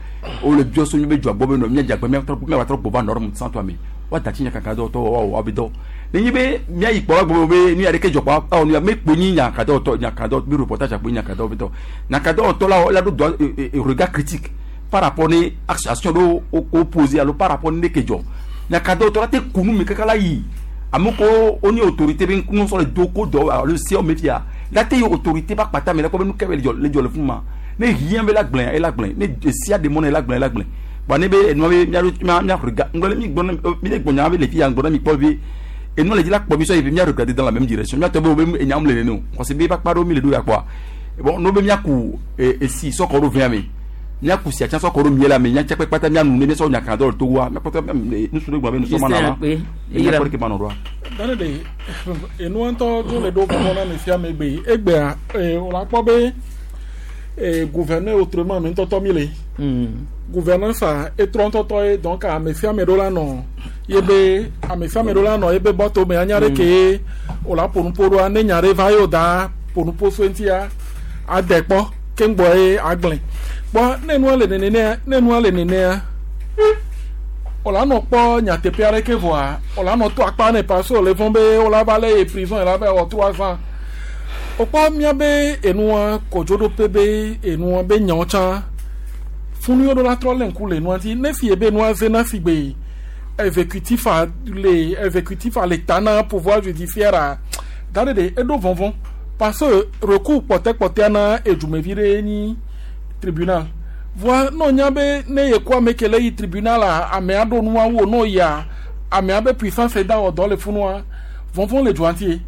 Q: o le biɔ so mi be dua gbɔ be nɔ mía dzagbe mía trɔ mía va trɔ gbɔ va norme sans toi me wa dati nya kaka dɔ tɔ wa wa be dɔ ne nyi be mía yi kpɔ gbɔ be nu ya ɖeke dzɔ kpɔ awɔ nu ya me kpo nyi nya ka dɔ tɔ nya ka dɔ be reportage akpo nya ka dɔ be tɔ nya ka dɔ tɔ la la do droit regard critique par rapport ne action ɖo o posé alo par rapport ne ke dzɔ nya ka dɔ tɔ la te kunu mi kaka la yi ame ko wo nye autorité be ŋu sɔ le do ko dɔ alo sewo me fia la te yi autorité ba kpata me la kpɔ be nu ke be le dzɔ le dzɔ le fún ma ne hiã be la gblẽ ela gblẽ ne sia de mɔ ne la gblẽ ela gblẽ bon ne be enua be mía mía mía rega ŋgɔ mi gbɔ mi le gbɔ nya be le fi ya ŋgɔ na mi kpɔ be enua le dzi la kpɔ mi sɔ yi be mía regarder dans la même direction mía tɔ be wo be enyam le nene o xɔse be ba kpa ɖo mi le ɖo ya kpɔa bon no be mía ku esi sɔkɔ ɖo vɛa me mía kusi atsã sɔ kɔ ɖo mie la me mía tsɛ kpata mía nu ne mía sɔ nyakana dɔ le Togoa mía kpɔtɔ nusu ɖe gblɔ be nusɔ ma na wa mía kpɔ ɖeke ma nɔ ɖoa.
C: Dane de enua ŋutɔ dzo le ɖo vɔvɔ na ame sia ame gbe egbea ee wòle akpɔ be ee gouverneur autrement ame ŋutɔtɔ mi le gouvernance a etrɔ ŋutɔtɔ ye donc ame sia ame ɖo la nɔ ye be ame sia ame ɖo la nɔ ye be bɔto me anya ɖe ke ye wòle aƒo nuƒo ɖoa ne nya ɖe va ye wòda ƒo nuƒo so eŋutia ade kpɔ keŋgbɔ ye agblẽ kpɔ ne nua le nenea ne nua le nenea wòle anɔ kpɔ nyateƒe aɖeke vɔa wòle anɔ to akpa ne parce que wòle vɔ̃ be wòle va lé ye prison yi la va wɔ trois ans wòkpɔ míabe enua kɔdzoɖoƒe be enua be nyawo tsã funu ɖo la trɔ lé ŋku le nua dzi ne fi ye be nua zena si gbe exécutif a le exécutif a le ta na pouvoir judiciaire a da ɖe ɖe eɖo vɔvɔ̃ parce que recours kpɔtɛkpɔtɛa na edumevi ɖe nyi tribunal voa ne wonya be ne ye kɔ ame ke le yi tribunal a amea ɖo nua wo ne yia amea be puissance da wɔ dɔ le funua vɔvɔ̃ le dua ŋuti ye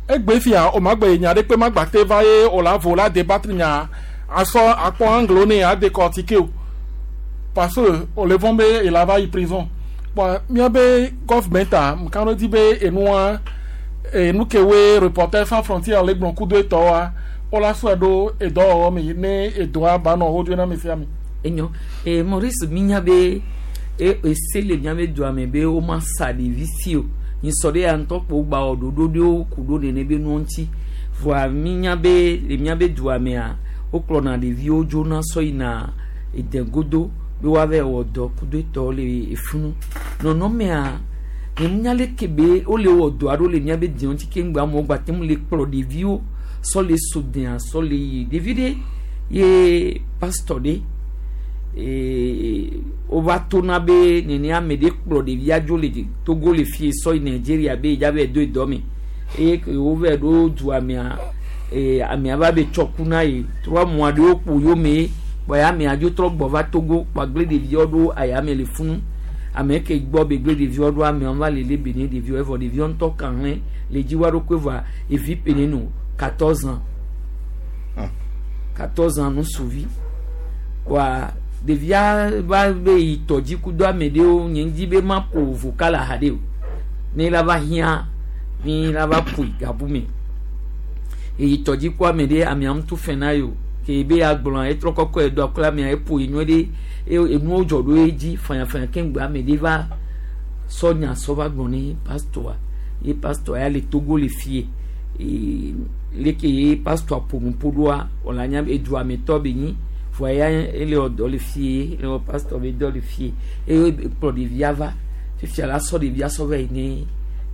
C: egbe fia o ma gbe nya ɖe kpe ma gba te va ye o la vo la débattre nya asɔ akpɔ angle ne a décortiquer o parce que o le vɔ̃ be il va yi prison bon míabe government a nka ɖe di be enua enu ke woe Reporters sans frontières le gblɔ kudo etɔwoa wola sɔe ɖo edɔwɔwɔ me ne edɔa ba nɔ wo dzo na ame sia ame.
A: Enyo e Maurice minya be e ese le miabe dua me be woma sa ɖevi si o nyisɔ ɖe ya ŋutɔ kpo gba wɔ ɖoɖo ɖewo ku ɖo nene be nuwo ŋuti voa minya be le miabe dua mea wokplɔna ɖeviwo dzona sɔ yina edegodo be woava wɔ dɔ kudo etɔwo le efunu nɔnɔmea nye nya leke be wole wɔ dɔ aɖewo le miabe diwo ŋuti keŋ gbe amewo gba te ŋu le kplɔ ɖeviwo sɔ le so dea sɔ le yi ɖevi ɖe ye pastor ɖe ee wova tona be nene ame ɖe kplɔ ɖevia dzo le Togo le fie sɔ yi Nigeria be yedza va do dɔ me eye ke wova ɖo dua mea ee amea va be tsɔ ku na yi trois mois ɖewo kpo yome kpɔ ya amea dzo trɔ gbɔ va Togo kpɔ agble ɖeviawo ɖo ayame le funu ame ke gbɔ be gble ɖeviawo ɖo amewo va le lé be ne ɖeviawo evɔ ɖeviawo ŋutɔ kan hlẽ le dzi wa ɖokui vɔa evi pene no quatorze ans quatorze ans nusuvi kɔa ɖevia va be yi tɔdzi kudo ame ɖewo nye ŋdi be ma ƒo vocal aha ɖe o ne la va hiã ni la va ƒoe gabu me eyi tɔdzi ku ame ɖe amea ŋutu fɛ na yi o ke be agblɔ etrɔ kɔkɔ edo akɔla amea eƒo yi nyuie ɖe eye enuwo dzɔ ɖo edzi fanyafanya keŋ gbe ame ɖe va sɔ nya sɔ va gblɔ ne pastor ye pastor ya le Togo le fie ee leke ye pastor ƒo nu ƒo ɖoa wòle anya edua me tɔ be nyi vɔa ya ele wɔ dɔ le fie ele wɔ pastor be dɔ le fie eye kplɔ ɖevia va fifia la sɔ ɖevia sɔ va yi ne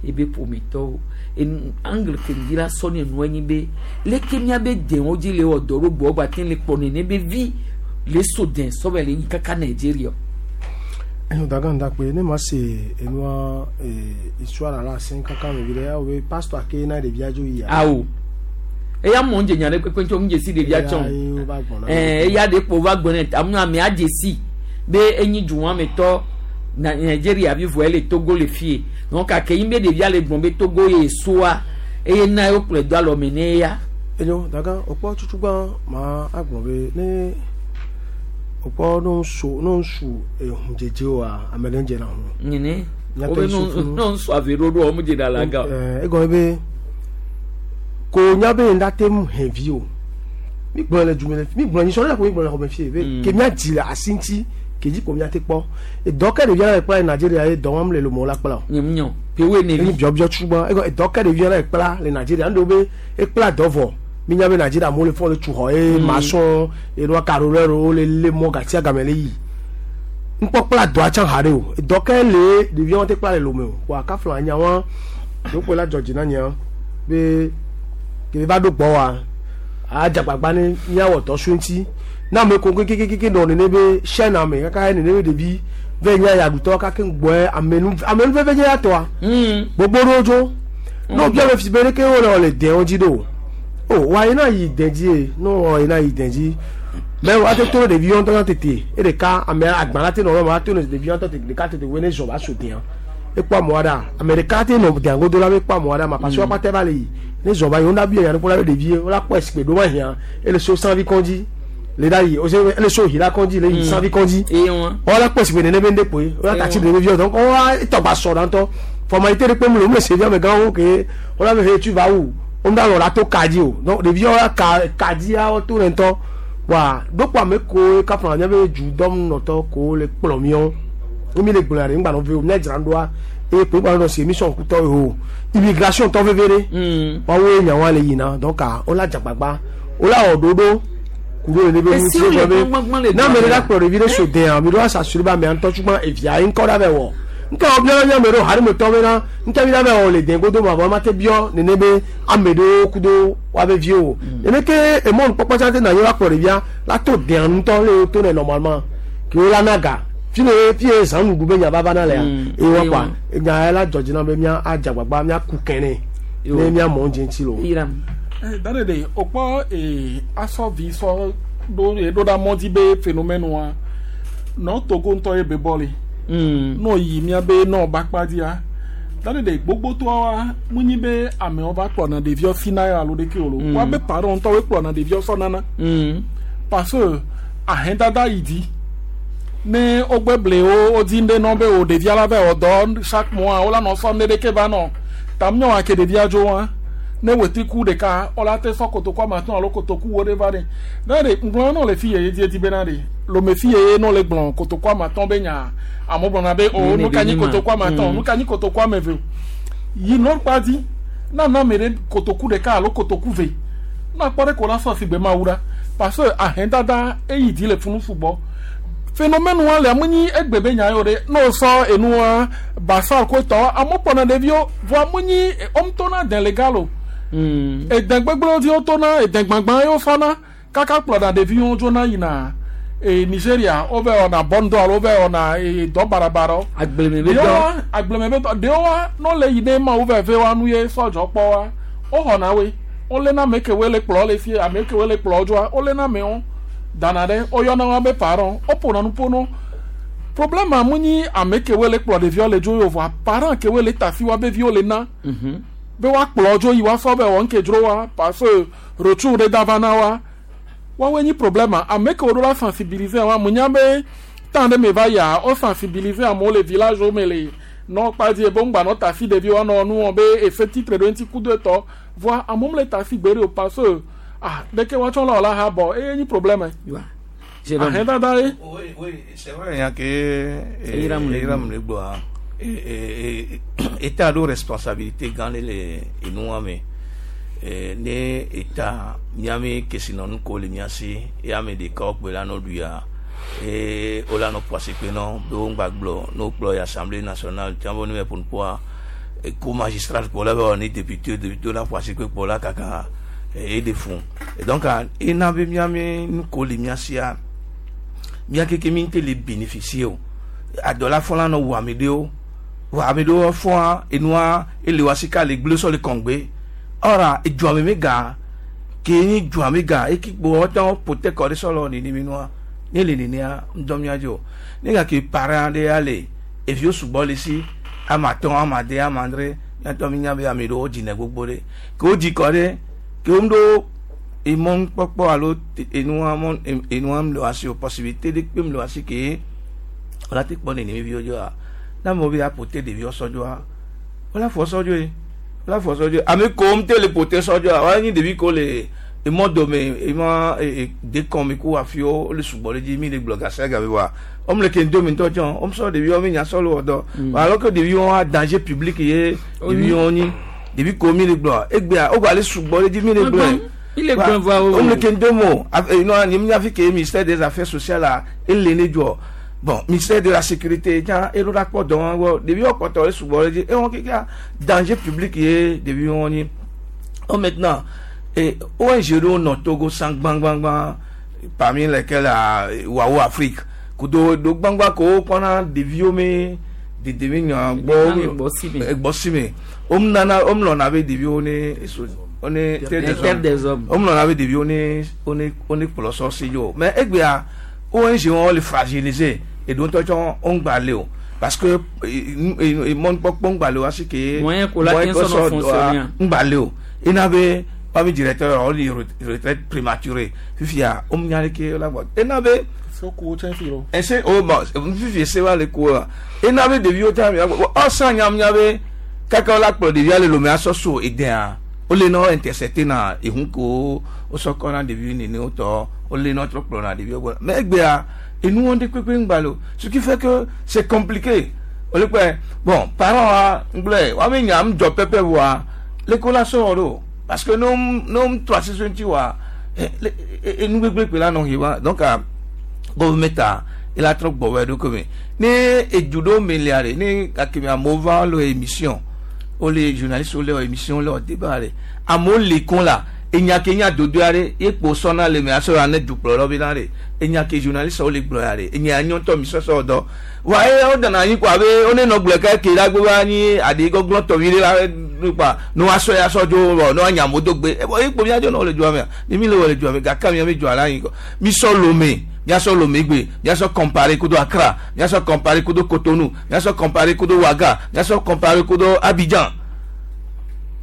A: ebe ƒometɔwo enu angle ke dzi la sɔ ne nua nyi be leke miabe dewo dzi le wɔ dɔ ɖo gbɔ gba te le kplɔ nene be vi le so den sɔ va le nyi kaka Nigeria.
V: Enyo daga ndakpe ne ma se enua histoire la sen kaka me vi ɖe awo be pastor ke na ɖevia dzo yia.
A: Awo eya mɔ ŋdze nya ɖe kpekpe ŋutɔ ŋdze si ɖevia tsɔ ɛɛ eya ɖe kpo va gbɔ ne amu amea dze si be enyi duwɔametɔ na Nigeria vi vɔ ele Togo le fie donc kake yi be ɖevia le gblɔ be Togo ye soa eye na ye wokplɔe do alɔme ne ya.
V: Enyo daga wòkpɔ tutugbã ma agblɔ be ne wòkpɔ ne ŋsu ne ŋsu ehun dzedze oa ame ɖe dzena hu.
A: Nyene wobe no ŋsu ave ɖoɖo wɔm dze ɖe alaga.
V: Ɛɛ egɔme be ko nya be ŋda te ŋu hɛn vi o mi gblɔ le dume le mi gblɔ nyisɔ ɖe ko mi gblɔ le xɔme fie be ke mía dzi le asi ŋuti ke dzi ko mía te kpɔ edɔ ke ɖevia le kpla le Nigeria ye dɔ wɔm le lomɔ la kpla o.
A: Nye mu nyɔ pewoe ne vi.
V: Biɔbiɔ tugbã egɔ edɔ ke ɖevia le kpla le Nigeria ŋɖewo be ekpla dɔ vɔ mi nya be Nigeria amewo le fɔ le tu xɔ ye maçon enua carreleur wo le lé mɔ gatia game le yi ŋkpɔ kpla dɔa tsã ha ɖe o edɔ ke le ɖevia wɔn te kpla le lome o wa kafla nya wa ɖokpe la dzɔ dzi na nyea be ke va ɖo gbɔ wa adzagbagba ne míawɔ dɔ so ŋuti na ame ko kekekeke nɔ nene be chaîne ame kaka nene be ɖevi ve nya yaɖutɔ kake ŋgbɔe amenu amenu veve nye ya tɔa gbogbo ɖewo dzo ne wobia be fi be ɖeke wole wɔ le dɛ̃wo dzi ɖo o wa yina yi dɛ̃ dzi ye ne wɔ yina yi dɛ̃ dzi mɛ wa te to ɖevi ŋutɔ tete eɖeka ame agba la te nɔ ma to ɖevi ŋutɔ tete ɖeka tete wo ne zɔ va so dɛ̃a ekpɔ amewo ɖa ame ɖeka te nɔ dɛ̃a godo la be kpɔ amewo ɖa ma parce que woakpɔ te va le yi ne zɔ va yi wo na bi nya ne kpɔ la be ɖevi wo la kpɔ esikpe ɖo ma hiã ele so sanvi kɔn dzi Le da yi o se le so hi la kondi le yi sanvi kondi. O la posi be nene be nde poe. O la tati de vio donc o a togba so danto. Formalité de pe mu le se via me gan o ke o la me tu vas où? On da lo la to kadi o. Donc le vio la ka kadi a o to rento. Wa dokwa me ko ka fana nya be ju dom noto ko le plomion. O mi le gbola re ngba no ve o mi jran do a e pe gba no se mission kuto o. Immigration to vevere. Wa wo nya wa le yina donc a o la jagbagba. O la ododo kuro le be mu ti be. Na me la kplo re so de an mi do asa suri ba me an to tugba evia en ko da be wo. Nka o bia nya me ro hari me to me na nka mi da be o le den godo ma bo ma te bio nene be amedo kudo wa be vio. Nene ke e mon popo cha te na yo kplo re bia la to de an to le to ne normalement. Ki o la naga. Fi le fi e zan nu be nya baba na le ya. E wo pa. E nya la george na be mia ajagbagba mia ku kene. Ne mia mo nje nti lo.
C: Eh dane de opo e aso vi so do e do da modi be phénomène wa. No Togo nto e be boli. No yi mia be no ba pa dia. Dane de gbogbo to wa munyi be ame o ba kpo na de vio fina alo de ke olo. Wa be parent to we kpo na de vio so nana. Parce que ahendada idi ne ogbeble o odinde no be o de via la be o do chaque mois o la no so ne de ke ba no. Tamnyo ake de via jo wa. Ne weti ku de ka ola te so kotoko ma ton alo kotoko wo de va de na de ngbon no le fi ye di di be na de lo me fi ye no le gbon kotoko ma ton be nya amo gbon na be o no ka ni kotoko ma ton no ka ni kotoko me ve yi no pa di na na me de kotoko de ka alo kotoko ve na pore ko la so si gbe ma wura parce que ahen dada e yi di le funu fugbo phénomène wa le amunyi egbebe nya yo de no so enu wa basal ko to amo pona de vio vo amunyi omtona den legalo. E den gbegbe di otona e den gbangban yo fana kaka ploda de vion jona yina e Nigeria over ona bondo over ona e do barabaro
A: agbeleme be do
C: agbeleme be do de wa no le yine ma over ve wa nu ye sojo po wa o hona we o le na meke we le plo le fi ameke we le plo jo o le na me on dana de o yo na wa be parent o pona nu pono problème amunyi ameke we le plo de viol le jo yo vo parent ke we le tafi wa be viol le na
A: mhm
C: be wa kplo jo yi wa so be won ke dro wa parce que retour de davana wa wa we ni problème a make o la sensibiliser wa munya be tant de me va ya o sensibiliser a mo le village o mele non pas dire bon ba no ta fi de vi wa no nu on be effet titre de un petit coup de temps voir a mo le ta fi gbere o parce que ah de ke wa chon la la ha bo e ni problème
A: wa
C: Jérôme
D: oui oui c'est vrai ya que Iram le gbo et état de responsabilité gane le enuame ne état nyame kesinon ko le nyasi ya me de ko pe la no duya e ola no poise pe no do ngbagbo no plo ya assemblée nationale tambo ne pour poids e ko magistrat pour la ni député député la poise pe pour la kaka et des fonds et donc e na be nyame ko le nyasi ya mia keke mi te le bénéficier adola fon no wa medeo wa amedo fon enua elewasika le gble so le kongbe ora eju ame mega ke ni ju ame ga e ki gbo otan pote ko re solo ni ni minua ni le ni a ndomi ajo ni ga ke para de ale e fi osugbọ le si amaton amade amandre ya to mi nya be amedo o jina gbogbo re ke o ji ko re ke o ndo emon popo alo enua mon enua mlo asi o possibilité de pe mlo asi ke ola ti pon ni mi vi ojo a na mo bi apote de vi osojo a ola fo sojo e ola fo sojo ami ko m te le pote sojo a wa ni de bi ko le e mo do me e ma e de kon mi ko afio le sugbo le ji mi le blog asa ga be wa o m le ke ndo mi to jon o m so de bi o mi nya solo odo alors que de bi on a danger public ye de bi on ni de bi ko mi le blog e gbe a o gba le sugbo le ji mi le blog
A: il est bon voir
D: o m le ke ndo mo no ni mi afi ke ministère des affaires sociales a e le ne jo. Bon, ministère de la sécurité, tiens, et le rapport dans depuis on porte sous et on qui a danger public et depuis on y oh maintenant et O N G no Togo sang bang bang bang parmi lesquels à Wao Afrique kudo do bang bang ko pona des vieux mais des des bossime om nana om l'on avait des vieux on est on est
A: terre des hommes
D: om l'on avait des vieux on est on est on est pour le sorcier mais eh bien O N G on les fragiliser et donc on va aller parce que ils montent pas on va aller aussi que
A: moyen qu'on la fonctionner
D: on va aller il n'avait Wa directeur o li retraite prématurée fifia o nya le ke la gbɔ ena be
C: soko tse fi lo
D: ese o ma fifi se wa le ko la ena be ɖeviwo ta mi ɔsan nyamnya be kaka la kplɔ ɖevia le lome asɔ so edea o le nɔ intercepté na ehun ko o sɔ kɔ na ɖevi nene o tɔ o le nɔ trɔ kplɔ na ɖeviwo gbɔ mais egbea enu wɔn de kpekpe ŋgba lo, ce qui fait que c'est compliqué. O le kpɛ bon parents wa ŋgblɔe wa mi nya ŋdzɔ pɛpɛ wa le ko la sɔ do parce que no no trɔ asi so ŋuti wa enu gbegbe kpe la nɔ hi wa. Donc gɔvumɛta ela trɔ gbɔ wɛ ɖo kome ne edu ɖewo me lia ɖe ne gake amewo va le émission wo le journaliste wo le émission le débat ɖe amewo li kun la enya ke nya dodo ya ɖe ye kpo sɔna le me asɔ ya ne dukplɔlawo bena ɖe enya ke journaliste wo le gblɔ ya ɖe enya nyɔtɔ mi sɔsɔ dɔ wa eye wo dana anyi kɔ abe wo ne nɔ gblɔ ke ke la gbe va anyi aɖi gɔglɔ tɔvi ɖe la kpa ne wa sɔ ya sɔ dzo wɔ ne wa nya amewo do gbe ebɔ ye kpo mia dzo ne wo le dzoa mea ni mi le wɔ le dzoa me gake mia mi dzoa la anyi kɔ mi sɔ Lomé, miasɔ Lomé gbe, miasɔ comparer kudo Accra, miasɔ comparer kudo Cotonou, miasɔ comparer kudo Ouaga, miasɔ comparer kudo Abidjan,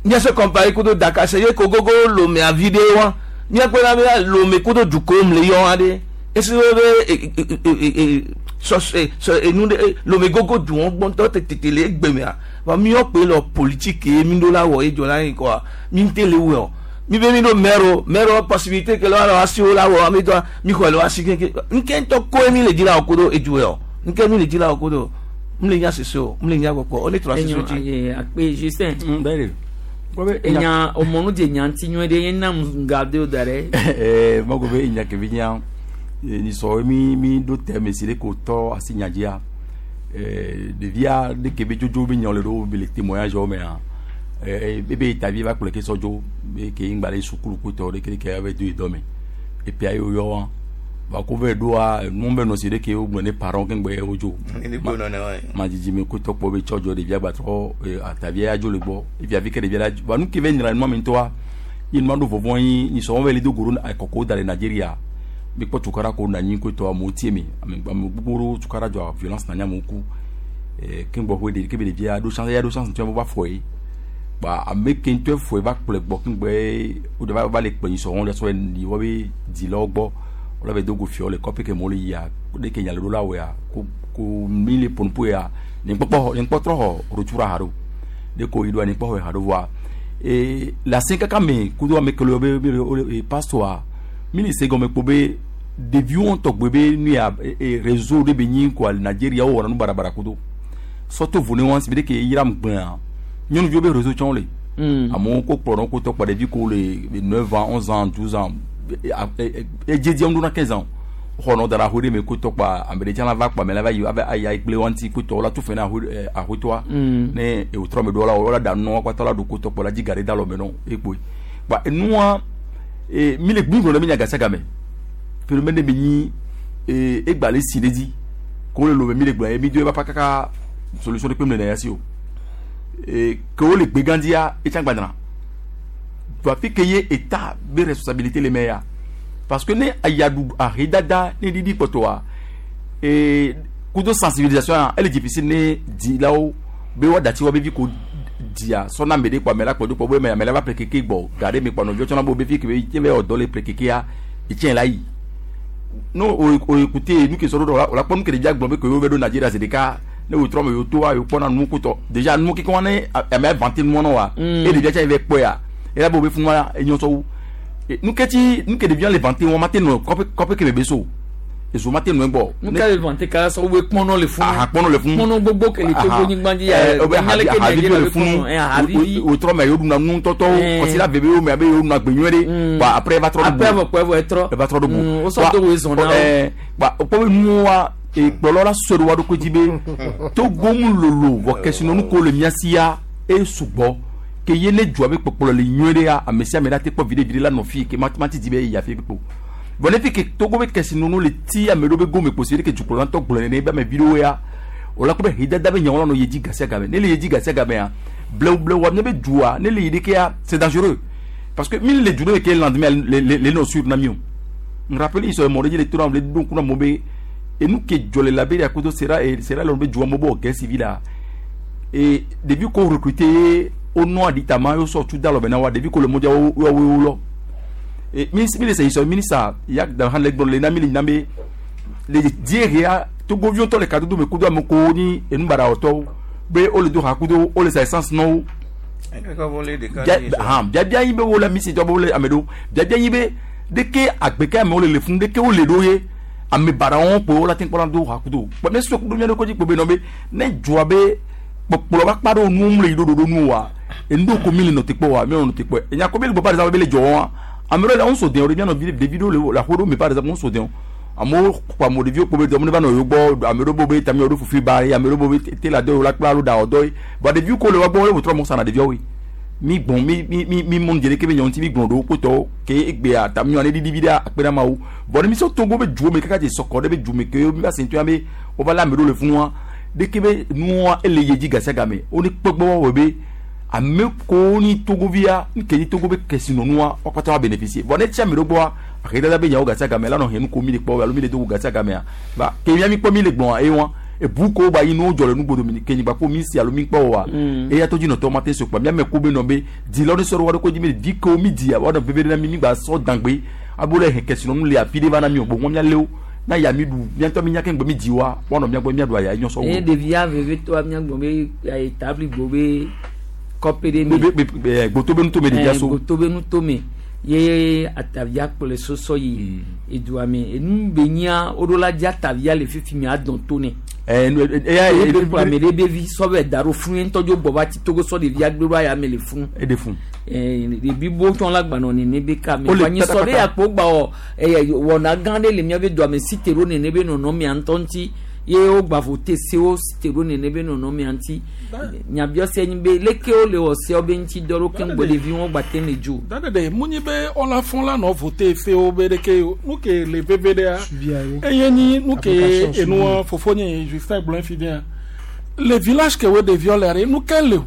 D: miasɔ comparer kudo Dakar. Se ye ko gogo Lomé avi ɖe wa miakpɔ na be Lomé kudo duko le yɔ wa ɖe esi wo be sɔ sɔ enu ɖe Lomé gogo du wɔn gbɔntɔ tètè le egbemea wa miɔ kpe lɔ politique ye mi ɖo la wɔ ye dzɔ la yi kɔa mi ŋte le wɔ mi be mi ɖo maire maire possibilité ke le wa asi wo la wɔ mi dɔ mi xɔ le wa asi keke nke ŋutɔ koe mi le dzi la wɔ kodo edu yɔ nke mi le dzi la wɔ kodo mi le nya sese o mi le nya gbɔkpɔ o ne trɔ asi so dzi.
A: Akpe Justin. Enya omonu dze nya ŋuti nyuie ɖe ye nam gade o da ɖe.
Q: Ɛɛ mɔgɔ be enya ke bi nya nisɔ mi mi ɖo tɛ si ɖe ko tɔ asi nya dzia ɛɛ ɖevia ɖe ke be dzodzo be nya le ɖo be le témoignage wo mea ebe tavi va kplɔ ke sɔ dzo be ke ŋgba le sukulu kutɔ ɖe ke ke ave do yi dɔ me epia yi wo yɔ wa ba ko ve ɖoa nu be nɔ si ɖe ke wo gblɔ ne parents ke ŋgbe wo dzo ma dzidzi me kutɔ kpɔ be tsɔ dzɔ ɖevia gbatrɔ atavia ya dzo le gbɔ evia vi ke ɖevia la ba nu ke ve nyra nua me ŋutɔa yi nua ɖo vɔvɔ yi nyisɔ wɔn ve li do go ɖo kɔkɔ da le Nigeria mi kpɔ tukara ko na anyi kutɔ amewo tie me ame ame gbogbo ɖewo tukara dzɔ violence na nye amewo ku ke ŋgbɔ ƒe ɖe ke be ɖevia ɖo chance ya ɖo chance ŋutɔ va fɔ ye ba ame ke ŋutɔ fɔ va kplɔe gbɔ ke ŋgbɛ wo de va va le kpe nyisɔ wɔn le sɔ yi wɔ be dzilawo gbɔ wòle be dogo fiɔ le kɔƒe ke mo le yia ɖe ke nya le ɖo la wɔa ko ko mi le ƒonuƒo ya ne kpɔkpɔ ne kpɔtrɔ xɔ rotsura ha ɖo ɖe ko yi ɖoa ne kpɔ xɔ ha ɖo voa ee le asi kaka me kudo ame kele be be pastor mi le se gɔme kpo be ɖeviwo ŋutɔ gbe be nu ya ee réseau ɖe be nyi kɔa le Nigeria wo wɔna nu barabara kudo sɔto vo ne wɔn si be ɖe ke yira gbɛa nyɔnuviwo be réseau tsɔn le amewo ko kplɔ ɖe ko tɔ kpɔ ɖevi ko le neuf ans, onze ans, douze ans, edzedzi ŋu ɖona quinze ans xɔ nɔ da ɖe ahoe ɖe me ko tɔ kpa ame ɖe tsã la va kpa me la va yi ava ayi ayi gble wɔn ŋuti ko tɔ la tu fɛ na ahoe ahoetɔa ne ewòtrɔ me ɖo la wòla ɖa nua kpata la ɖo ko tɔ kpɔ la dzi ga ɖe da lɔ me nɔ ekpoe kpa enua ee mi le mi gblɔ ɖe mi nya gasia game phénomène ɖe mi nyi ee egba le si ɖe dzi ko le lome mi le gblɔ ye mi do eba kaka solution ɖe kpe mi le ya si o ee ke wo le gbegãdzia etsã gbadana fi ke ye état be responsabilité le me ya parce que ne ayaɖu ahedada ne ɖiɖi kpɔtɔa ee kudo sensibilisation ya ele difficile ne dzilawo be woaɖati woabe vi ko dzia sɔna ame ɖe kpɔ ame la kpɔ do kpɔ be ame ame la va ƒle keke gbɔ ga ɖe me kpɔ nɔviwo tsɔna be fi ke be tse be wɔ dɔ le ƒle kekea etsɛ la yi no o o écouter nu ke sɔ ɖo o la kpɔ nu ke ɖevia gblɔ be ke yewo va ɖo Nigeria zi ɖeka ne wòtrɔ me yewo toa yewo kpɔna nu kutɔ déjà nu keke wa ne ame vanté nua nɔ wa eye ɖevia tsa yi va kpɔe ya ela be wo be funua enyo sɔwu nu ke ti nu ke ɖevia le vanté wɔn ma te nɔ kɔƒe kɔƒe ke be so ezo ma te nɔ egbɔ.
A: Nu ka le vanté kala sɔ wo kpɔnɔ le funu.
Q: Aha kpɔnɔ le funu.
A: Kpɔnɔ gbogbo ke le Togo nyigba dzi ya.
Q: Ɛ o bɛ havi le funu wòtrɔ me yewo ɖuna nu tɔtɔwo kɔsi la bebe wo me abe yewo ɖuna gbe nyuie ɖe ba après eva trɔ ɖo bu.
A: Après evɔ kpɔ evɔ etrɔ.
Q: Eva trɔ ɖo bu.
A: O sɔ to wo zɔn na wo.
Q: Ɛɛ ba o kpɔ be nuwa ekplɔlɔ la sɔ ɖe wa ɖokui dzi be Togo mu lolo vɔ kesinɔnu ko le mía sia e sugbɔ ke ye ne dzoa be kpɔkplɔ le nyuie ɖe ya ame sia ame la te kpɔ viɖe viɖe la nɔ fi ke ma ma ti di be eyi afi kpekpe o bon ne fi ke Togo be kesinɔnu le ti ame ɖewo be gome kposi ɖe ke dukplɔla ŋutɔ gblɔ nene be ame vi ɖewo ya o la kpɔ be hidada be nyawo la nɔ ye dzi gasia game ne le ye dzi gasia gamea blewu blewu ne be dua ne le yi ɖeke ya c'est dangereux parce que mi le du ɖe ke lendemain le le le nɔ suivre na mi o n rappelle sɔ mɔ ɖe dzi le to na le ɖo ŋku na mo be enu ke dzɔ le Liberia kudo Sierra Sierra Leone be dua mo be wɔ guerre civile la et depuis qu'on recruté wonɔ aditama yo sɔ tu da lɔ bena wa ɖevi ko le mɔdza wo wo wo lɔ e mi mi le se sɔ minisa ya da han le gblɔ le na mi le nyina be le die ria togoviwo tɔ le kadodo me kudo ame ko ni enubaɖawɔtɔwo be wole do ha kudo wole sa essence nɔwo biabia yi be wole misi tɔ be wole ame ɖewo biabia yi be ɖeke agbeke amewo le le funu ɖeke wole ɖo ye ame baɖawo kpo wole ate kpɔna do ha kudo kpɔ ne sɔ kudo mía ɖokui dzi kpo be nɔ be ne dzɔa be kpɔkplɔ va kpa ɖo nuwo le yi ɖo ɖoɖo nu wa enu ɖo ko mi le nɔ te kpɔ wa mi nɔ te kpɔ enya ko be le gbɔ par exemple be le dzɔ wa ame ɖewo le ŋu so den o ɖe mianɔ vi ɖevi ɖewo le le aƒe ɖewo me par exemple ŋu so den o amewo kpɔ ame ɖeviwo kpo be dɔm ne va nɔ yewo gbɔ ame ɖewo bo be tami ɖo fufu ba ye ame ɖewo bo be tela dɔ la kpla alo ɖa dɔ ye bɔn ɖeviwo ko le wa gbɔ wole wòtrɔ mɔ sana ɖeviawo ye mi gbɔn mi mi mi mi mɔnu dze ɖeke be nyɔnu ti mi gblɔ ɖewo kpotɔwo ke egbea tami ne ɖiɖi vi ɖe akpe ɖe ameawo bɔn ne mi sɔ Togo be duwo me kaka dze sɔkɔ ɖe be du me ke mi va se ŋutɔ be wova lé ame ɖewo le funua ɖeke be nua ele ye dzi gasia game wo ne kpɔgbɔ wɔ be ame ko ni Togovia nke ni Togo be kesinɔnua wo katã wa bénéficier bɔn ne tsi ame ɖewo gbɔa ahedada be nyawo gasia game la nɔ henu ko mi le kpɔ alo mi le do gasia gamea ba ke mia mi kpɔ mi le gbɔn ewa ebu ko ba yi no dzɔ le nugbodo mi ke nyigba ko mi si alo mi kpɔ wa eya to dzi nɔtɔ ma te so kpa mia me ko be nɔ be di la wo ne sɔ ɖo wa ɖo ko dzi mi di ko mi di wa nɔ veve ɖe na mi mi gba sɔ dangbe abo le hɛ kesinɔnu le afi ɖe va na mi o gbogbo mia le wo na ya mi ɖu mia ŋutɔ mi nya ke ŋgbe mi di wa wa nɔ mia gbɔ mia ɖu aya enyo sɔ wo.
A: eye ɖevia veve tɔa mia gbɔ be ayi tabli gbɔ be kɔpe ɖe mi.
Q: Gboto be nutome ɖevia so.
A: Gboto be nutome ye atavia kplɔe sɔsɔ yi edua me enu be nyia woɖo la dzi atavia le fifi mi adɔn to ne.
Q: ɛɛ eya
A: ye be kplɔ ame ɖe be vi sɔ bɛ da ɖo funu ye ŋutɔ dzo gbɔ va ti Togo sɔ ɖevia gbe ɖo aya me le funu.
Q: E de funu.
A: ɛɛ ɖevi bo tsɔn la gbanɔ nene be ka me. Anyi sɔ ɖe yakpo gba wɔ ɛyɛ wɔna gã ɖe le miabe dua me si te ɖo nene be nɔnɔmea ŋutɔ ŋuti ye wo gba vote sewo si te ɖo nene be nɔnɔmea ŋuti nyabiɔse nyi be leke wo le wɔ sewo be ŋuti dɔ ɖo keŋ gbɔ ɖevi wo gba te le dzo.
C: Dadede mu nyi be ɔla fɔn la nɔ vote sewo be ɖeke nu ke le veve ɖea eye nyi nu ke enua fofo nye Justin gblɔ fi ɖea le village ke wo ɖeviwo le ɖe nu ke le o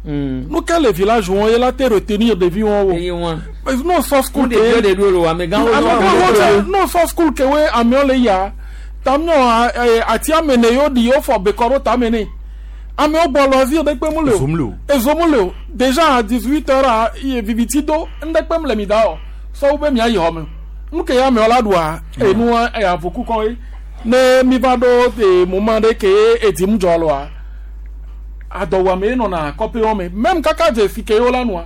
C: nu ke le village wɔn ye la te retenir ɖevi wɔn
A: wo.
C: No sɔ school ke
A: ɖeviwo de ɖo lo amegãwo
C: no sɔ school ke wo amewo le ya tamiɔ ati amene yewo ɖi yewo fɔ bekɔ ɖo tame ne amewo gbɔ lɔzi ɖe kpe mu le o ezomu le o déjà à dix-huit heures iye viviti do ŋɖe kpe mu le mi da o sɔwo be mia yi xɔ me nu ke ya amewo la ɖua enua eya voku kɔ ye ne mi va ɖo e moment ɖe ke edi mu dzɔ loa adɔwɔame ye nɔna kɔƒe wɔme même kaka dze fi ke yewo la nua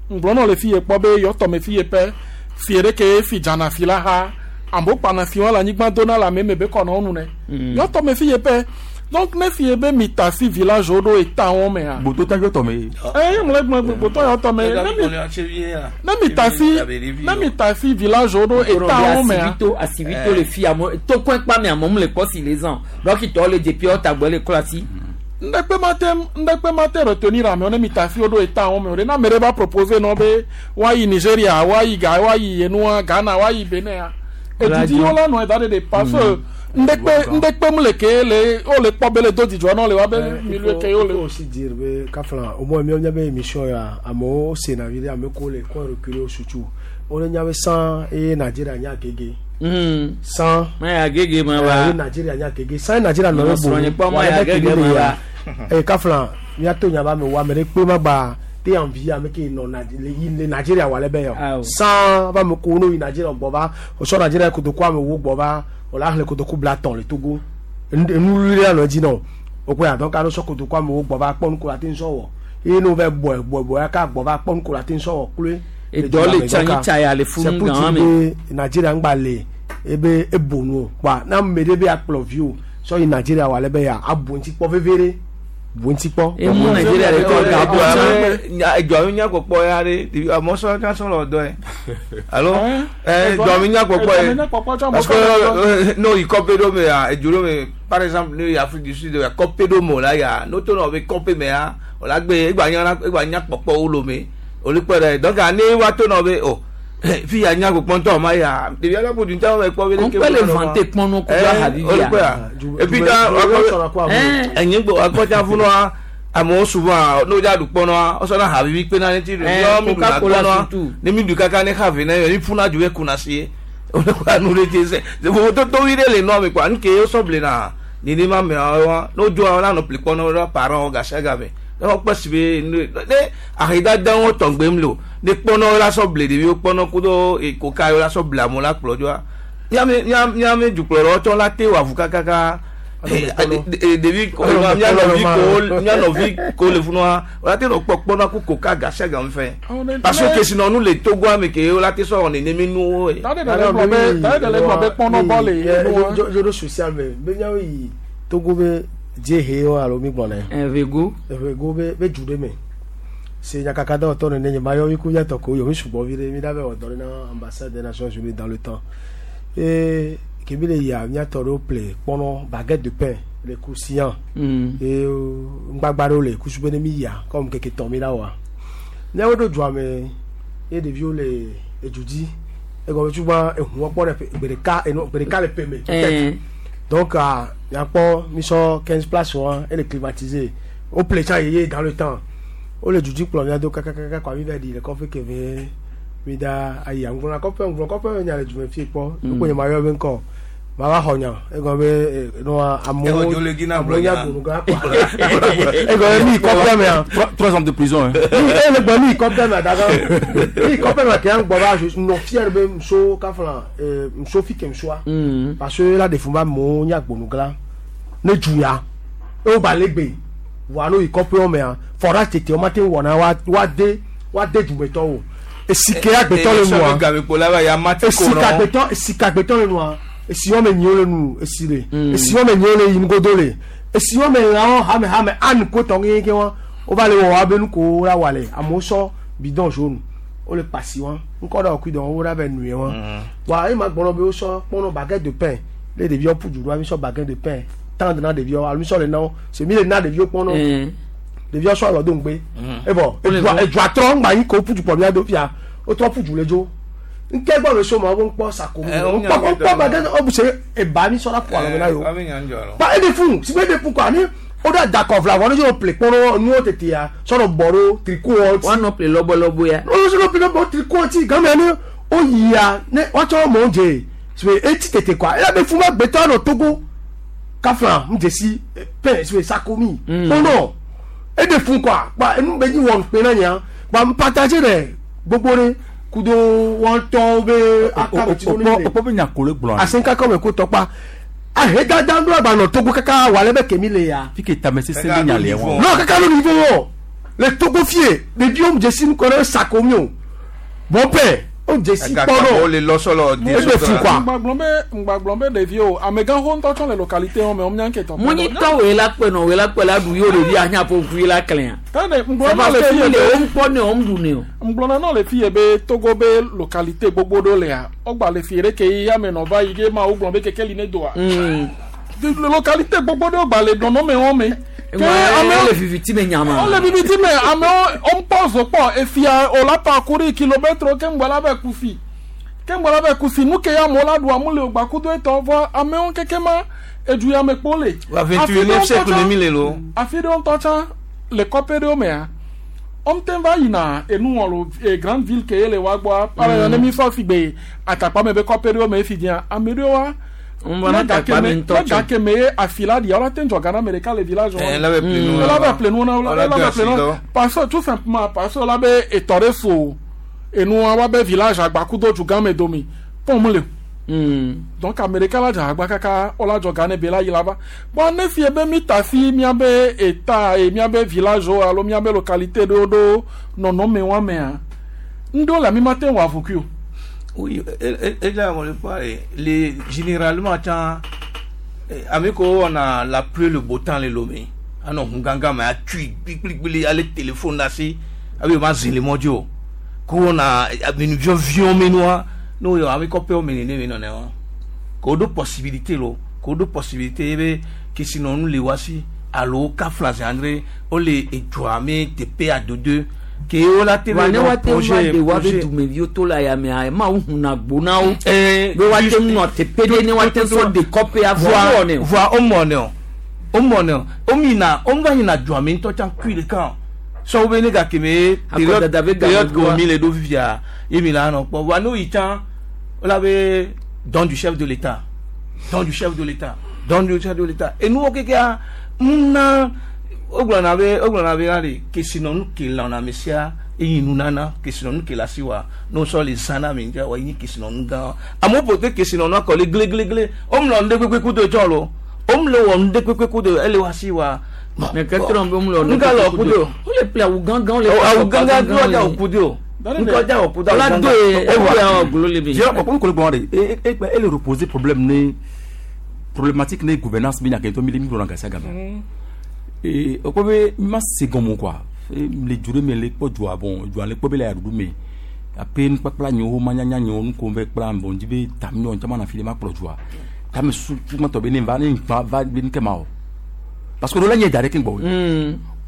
C: ŋgblɔ nɔ le fi ye kpɔ be yɔ tɔme fi ye pɛ fi ɖe ke fi dzana fi la ha amewo kpana fi wɔn le anyigba dona le ame me be kɔnɔ wo nu ne yɔ tɔme fi ye pɛ donc ne fi ye be mi ta si village wo ɖo eta wɔn me ha.
Q: Gboto ta yɔ tɔme.
C: eye mle gblɔ gbotɔ yɔ tɔme ne mi ne mi ta si ne mi ta si village wo ɖo eta wɔn me ha.
A: Asibito le fi amewo tokɔe kpa me amewo le kɔ si le zan dɔkitɔwo le dzepi wo tagbɔ le klɔ asi.
C: Ndekpe ma te ndekpe ma te retenir amewo ne mi ta si wo ɖo eta wɔn me o de na ame ɖe va proposer nɔ be woayi Nigeria woayi Ga woayi enua Ghana woayi Benin ya edidi wo la nɔ eda ɖe de parce que ndekpe ndekpe mu le ke le wo le kpɔ be le do dzidzɔ nɔ le wa be milieu ke wo le.
V: Il faut aussi dire be kafla au moins miawo nya be émission ya amewo sena vi ɖe ame ko le coin reculé surtout wo le nya be san eye Nigeria nya gege. San.
A: Ma ya gege ma wa.
V: Eye Nigeria nya gege san Nigeria nɔ be
A: bo. Ma ya gege ma wa.
V: Eye kafla miato nya ba me wa ame ɖe kpe ma gba te envie ame ke nɔ le Nigeria wa le be yɔ. San va me ko no yi Nigeria gbɔ va o sɔ Nigeria kotoku ame wo gbɔ va o la xlẽ kotoku bla tɔn le Togo enu li la nɔ dzi nɔ o ko ya donc alo sɔ kotoku amewo gbɔ va kpɔ nu ko la te ŋsɔ wɔ eye no va bɔe bɔe bɔe aka gbɔ va kpɔ nu ko la te ŋsɔ wɔ kloe.
A: Edɔ le tsa nyi tsa ya le funu gan
V: me. Nigeria ŋgba le ebe ebonu o kpa na ame ɖe be akplɔ vi o sɔ yi Nigeria wa le be ya abu ŋuti kpɔ veve ɖe bu ŋuti kpɔ.
A: Emu Nigeria le kɔ ga bɔ
D: tsa. Edɔ mi nya kpɔkpɔ ya ɖe amewo sɔ nya sɔ le dɔ ye alo edɔ mi nya kpɔkpɔ ye parce que n'o yi kɔpe ɖo me ya edu ɖo me par exemple n'o yi Afrique du Sud ya kɔpe ɖo me o la ya n'o to nɔ be kɔpe me ya o la gbe egba nya egba nya kpɔkpɔ wo lo me olu kpɔ ɖe donc ne wa to nɔ be o fi ya nya kpɔkpɔ ŋutɔ ma ya ɖevi ala ko dun ta me kpɔ be.
A: On peut le vanter kpɔnɔ ko la habibi
D: ya. Et puis quand enyigbo akɔta funua amewo souvent n'o dza du kpɔnɔa wosɔna habibi kpena ne ti du yɔ mi du na kpɔnɔa ne mi du kaka ne havi ne yɔ ni funa du ye kuna si ye o ne ko anu de ti sɛ vovototo wi ɖe le nua me kɔa nuke wosɔ ble na nenema me wa n'o dzo wa nɔ pli kpɔnɔ ɖe parents gasia game Ne wokpɔ si be ne ahedada wo tɔngbem le o ne kpɔnɔ la sɔ ble ɖeviwo kpɔnɔ kudo koka la sɔ ble amewo la kplɔ dzoa miame miame dukplɔlawo tsɔ la te wɔ avu kakaka ɖevi mia nɔvi ko mia nɔvi ko le funua wòla te nɔ kpɔ kpɔnɔ ku koka gasia game fɛ parce que kesinɔnu le Togoa me ke wòla te sɔ wɔ nenemi nuwo ye.
C: Tade ɖe gblɔ be tade ɖe gblɔ be kpɔnɔ bɔ le
V: nua. Jodo social me be miawo yi Togo be dziehe wo alo mi gblɔ ne.
A: Evego.
V: Evego be be du ɖe me. Se nyakaka dɔwɔtɔ nene nye ma yɔ mi ku miatɔ ko yɔ mi sugbɔ vi ɖe mi ɖa be wɔ dɔ ɖe na ambassade des Nations Unies dans le temps. Et kemi le yia miatɔ ɖewo ple kpɔnɔ baguette de pain le croustillant. Et ŋgbagba ɖewo le kusu be ne mi yia comme keke tɔn mi ɖa wɔa. Miawo ɖo dua me ye ɖeviwo le edu dzi egɔme tugba ehuɔ kpɔ ɖe gbe ɖeka enu gbe ɖeka le ƒe me. Peut-être. Donc miakpɔ mi sɔ quinze places wa ele climatisé o ple tsã yeye dans le temps o le dudi kplɔ mia do kakakaka kɔ mi va di le kɔfe keve mi da ayi ŋgblɔna kɔfe ŋgblɔ kɔfe nya le dume fie kpɔ nukpo nye ma yɔ be ŋkɔ ma va xɔ nya egɔme be nua amewo amewo nya gbonu gã kɔ egɔme mi kɔfe mea
Q: trois hommes de prison hein.
V: E le gbɔ mi kɔfe mea dada mi kɔfe mea ke ŋgbɔ ba nɔ fier be muso kafla muso fi ke musoa parce que la defun ba amewo nya gbonu gã ne du ya ewo ba le gbe wa no yi kɔƒe mea fɔra tete wo ma te wɔna wa wa de wa de dumetɔwo esike agbetɔ le nua esike agbetɔ esike agbetɔ le nua esi wɔme nyiwo le nu esi le esi wɔme nyiwo le yi nugodo le esi wɔme lãwo hame hame anu ko tɔ kekeake wa wova le wɔ wa be nuko la wa le amewo sɔ bidon jaune wole pasi wa ŋkɔ ɖe ɔkui dɔn wo ɖa be nue wa wa ema gbɔnɔ be wosɔ kpɔnɔ baguette de pain le ɖeviwo ƒu du ɖoa mi sɔ baguette de pain tendre na ɖeviwo alo mi sɔ le na wo se mi le na ɖeviwo kpɔnɔ ɖeviwo sɔ alɔ do ŋgbe evɔ edua edua trɔ ŋgba yi ko ƒu du kpɔ mia do fia wotrɔ ƒu du le dzo nke gbɔ le so ma wo ŋkpɔ sako ŋkpɔ ŋkpɔ baguette ɔbu se eba mi sɔ la ƒo alɔ na yo ba eɖe fún si be eɖe fún kɔ ani o da dakɔ fila vɔ ne sɔ ple kpɔnɔ nuwo tete ya sɔrɔ bɔ ɖo triko
A: wɔn nɔ ple lɔbɔlɔbɔ ya
V: o sɔ ple lɔbɔ triko ti game ne o yia ne woatsɔ mɔ dze si eti tete kɔa eya be fún ma gbetɔ nɔ Togo kafla ŋdzesi pain si sakomi kpɔnɔ eɖe fún kɔa kpa enu be nyi wɔn kpe na nya kpa partage ɖe gbogbo ɖe kudo wɔn tɔwo be akabeti ɖo ne
Q: o be nya ko le gblɔ
V: asenkakɔ me ko tɔkpa ahedada ŋdɔ agba nɔ Togo kaka wà lɛ bɛ kemi le ya.
Q: fi ke tame sese be nya le wɔn.
V: non kaka ló niveau wɔ le Togo fie ɖeviwo ŋdzesi ŋkɔ ɖe sakomi o bon pain o dzesi kpɔnɔ
D: o le lɔsɔlɔ
V: e bɛ fún quoi.
C: ŋgbagblɔ be ŋgbagblɔ be ɖeviwo amegãxo ŋutɔ tsɔ le localité wɔn me wɔn mian ketɔ.
A: munyi tɔ wòye la kpɛ nɔ wòye la kpɛ la ɖu yio ɖevi anya ƒo ƒu la klẽa.
C: tane ŋgblɔ le fi ye
A: be wo ŋkpɔ ne wo ŋɖu ne o.
C: ŋgblɔ na le fi ye be Togo be localité gbogbo ɖo lea ɔgba le fi ye ɖe ke yi ame nɔ va yi ke ma wo gblɔ be keke li ne doa. Localité gbogbo ɖo gba le nɔnɔme wɔn me.
A: Ke amewo le viviti me nyama.
C: Wole viviti me amewo woŋkpɔ zo kpɔ efia o la parcourir kilomètre ke ŋgbɔ la be kusi ke ŋgbɔ la be kusi nu ke ya amewo la ɖu amu le o gba kudo etɔ vɔ amewo keke ma edu ya me kpo le.
D: Wa vingt-et-unième siècle ne mi le lo.
C: Afi ɖewo ŋutɔ tsã le kɔƒe ɖewo mea wɔn va yina enu wɔ lo e grande ville ke ye le wa gbɔa par exemple ne mi sɔ si gbe atakpa me be kɔƒe ɖewo me efi dzia ame ɖewo wa.
A: Ne
C: gake me ye afila di ɔla te ŋdzɔ Ghana me ɖeka le village wɔn.
D: Ela bɛ ple nu.
C: Ela bɛ ple nu na ela bɛ ple nu parce que tout simplement parce que ela bɛ etɔ ɖe so enua wa bɛ village agbakudo dugã me domi pɔn le. Donc ame ɖeka la dze agba kaka ɔla dzɔ Ghana be la yi la va. Bɔn ne fie be mi ta si miabe eta e miabe village wo alo miabe localité ɖewo ɖo nɔnɔme wa mea ŋɖewo le ami ma te wɔ avukui o.
D: Oui, et, et là, on le voit, les, généralement, quand amico, on a la pluie, le beau temps, les lomé. Ah non, on ganga, mais a tué, bli, allez, téléphone, là, si, avec ma zine, les mondiaux. Quand on a une vision, mais nous, nous, avec on mais nous, non, non, qu'on a deux possibilités, là, qu'on a deux possibilités, que sinon, nous, les voici, allo, Kafla, André, on les, et toi, mais, T P A deux deux. Ke o la te
A: ne wa te wa de wa be dumeviwo to la ya mea ma wo huna gbo na wo be wa te nɔ teƒe ɖe ne wa te sɔ de kɔƒe avɔ wɔ ne o.
D: Voa o mɔ ne o o mɔ ne o o mina o va yina dua me ŋutɔ tsã kui ɖeka o sɔwo be ne gake me période période ke o mi le ɖo fifia ye mi la nɔ kpɔ voa n'o yi tsã o la be don du chef de l'État don du chef de l'État don du chef de l'État enuwo kekea ŋuna. wogblɔna be wogblɔna be la kesinɔnu ke lɔna ame sia eyi nunana kesinɔnu ke le asi wa ne wosɔ le zã na ame ŋutia wa enyi kesinɔnu gã amewo ƒo te kesinɔnua kɔ le gleglegle womlɔ nu ɖe kpekpe ku do tsɔ lo womle wɔ nu ɖe kpekpe ku do ele wa si wa.
A: Mais que trompe womlɔ nu
D: ɖe kpekpe ku do
A: wole ple awu gãgã wole
D: awu gãgã do ɔdza òku do ŋkɔ dza òku do awu
A: gãgã do ye ewa glo le bi.
Q: Jẹ́ ọ̀pọ̀ kò lè gbọ́n rẹ̀ e e e le reposer problème ne problématique ne gouvernance bi na kɛ to mi le mi lɔn gasi gama. Ee o ko be ma se gɔmɔ quoi le dzu ɖe me le kpɔ dzua bon dzua le kpɔ be le aɖuɖu me ape nukpakpla nyewo manyanya nyewo nuko ve kpla bon dzi be tami nyɔ ŋtsama na fi le ma kplɔ dzua tame su tuma tɔ be ne va ne va va be nuke ma o parce que o la nye da ɖe ke gbɔ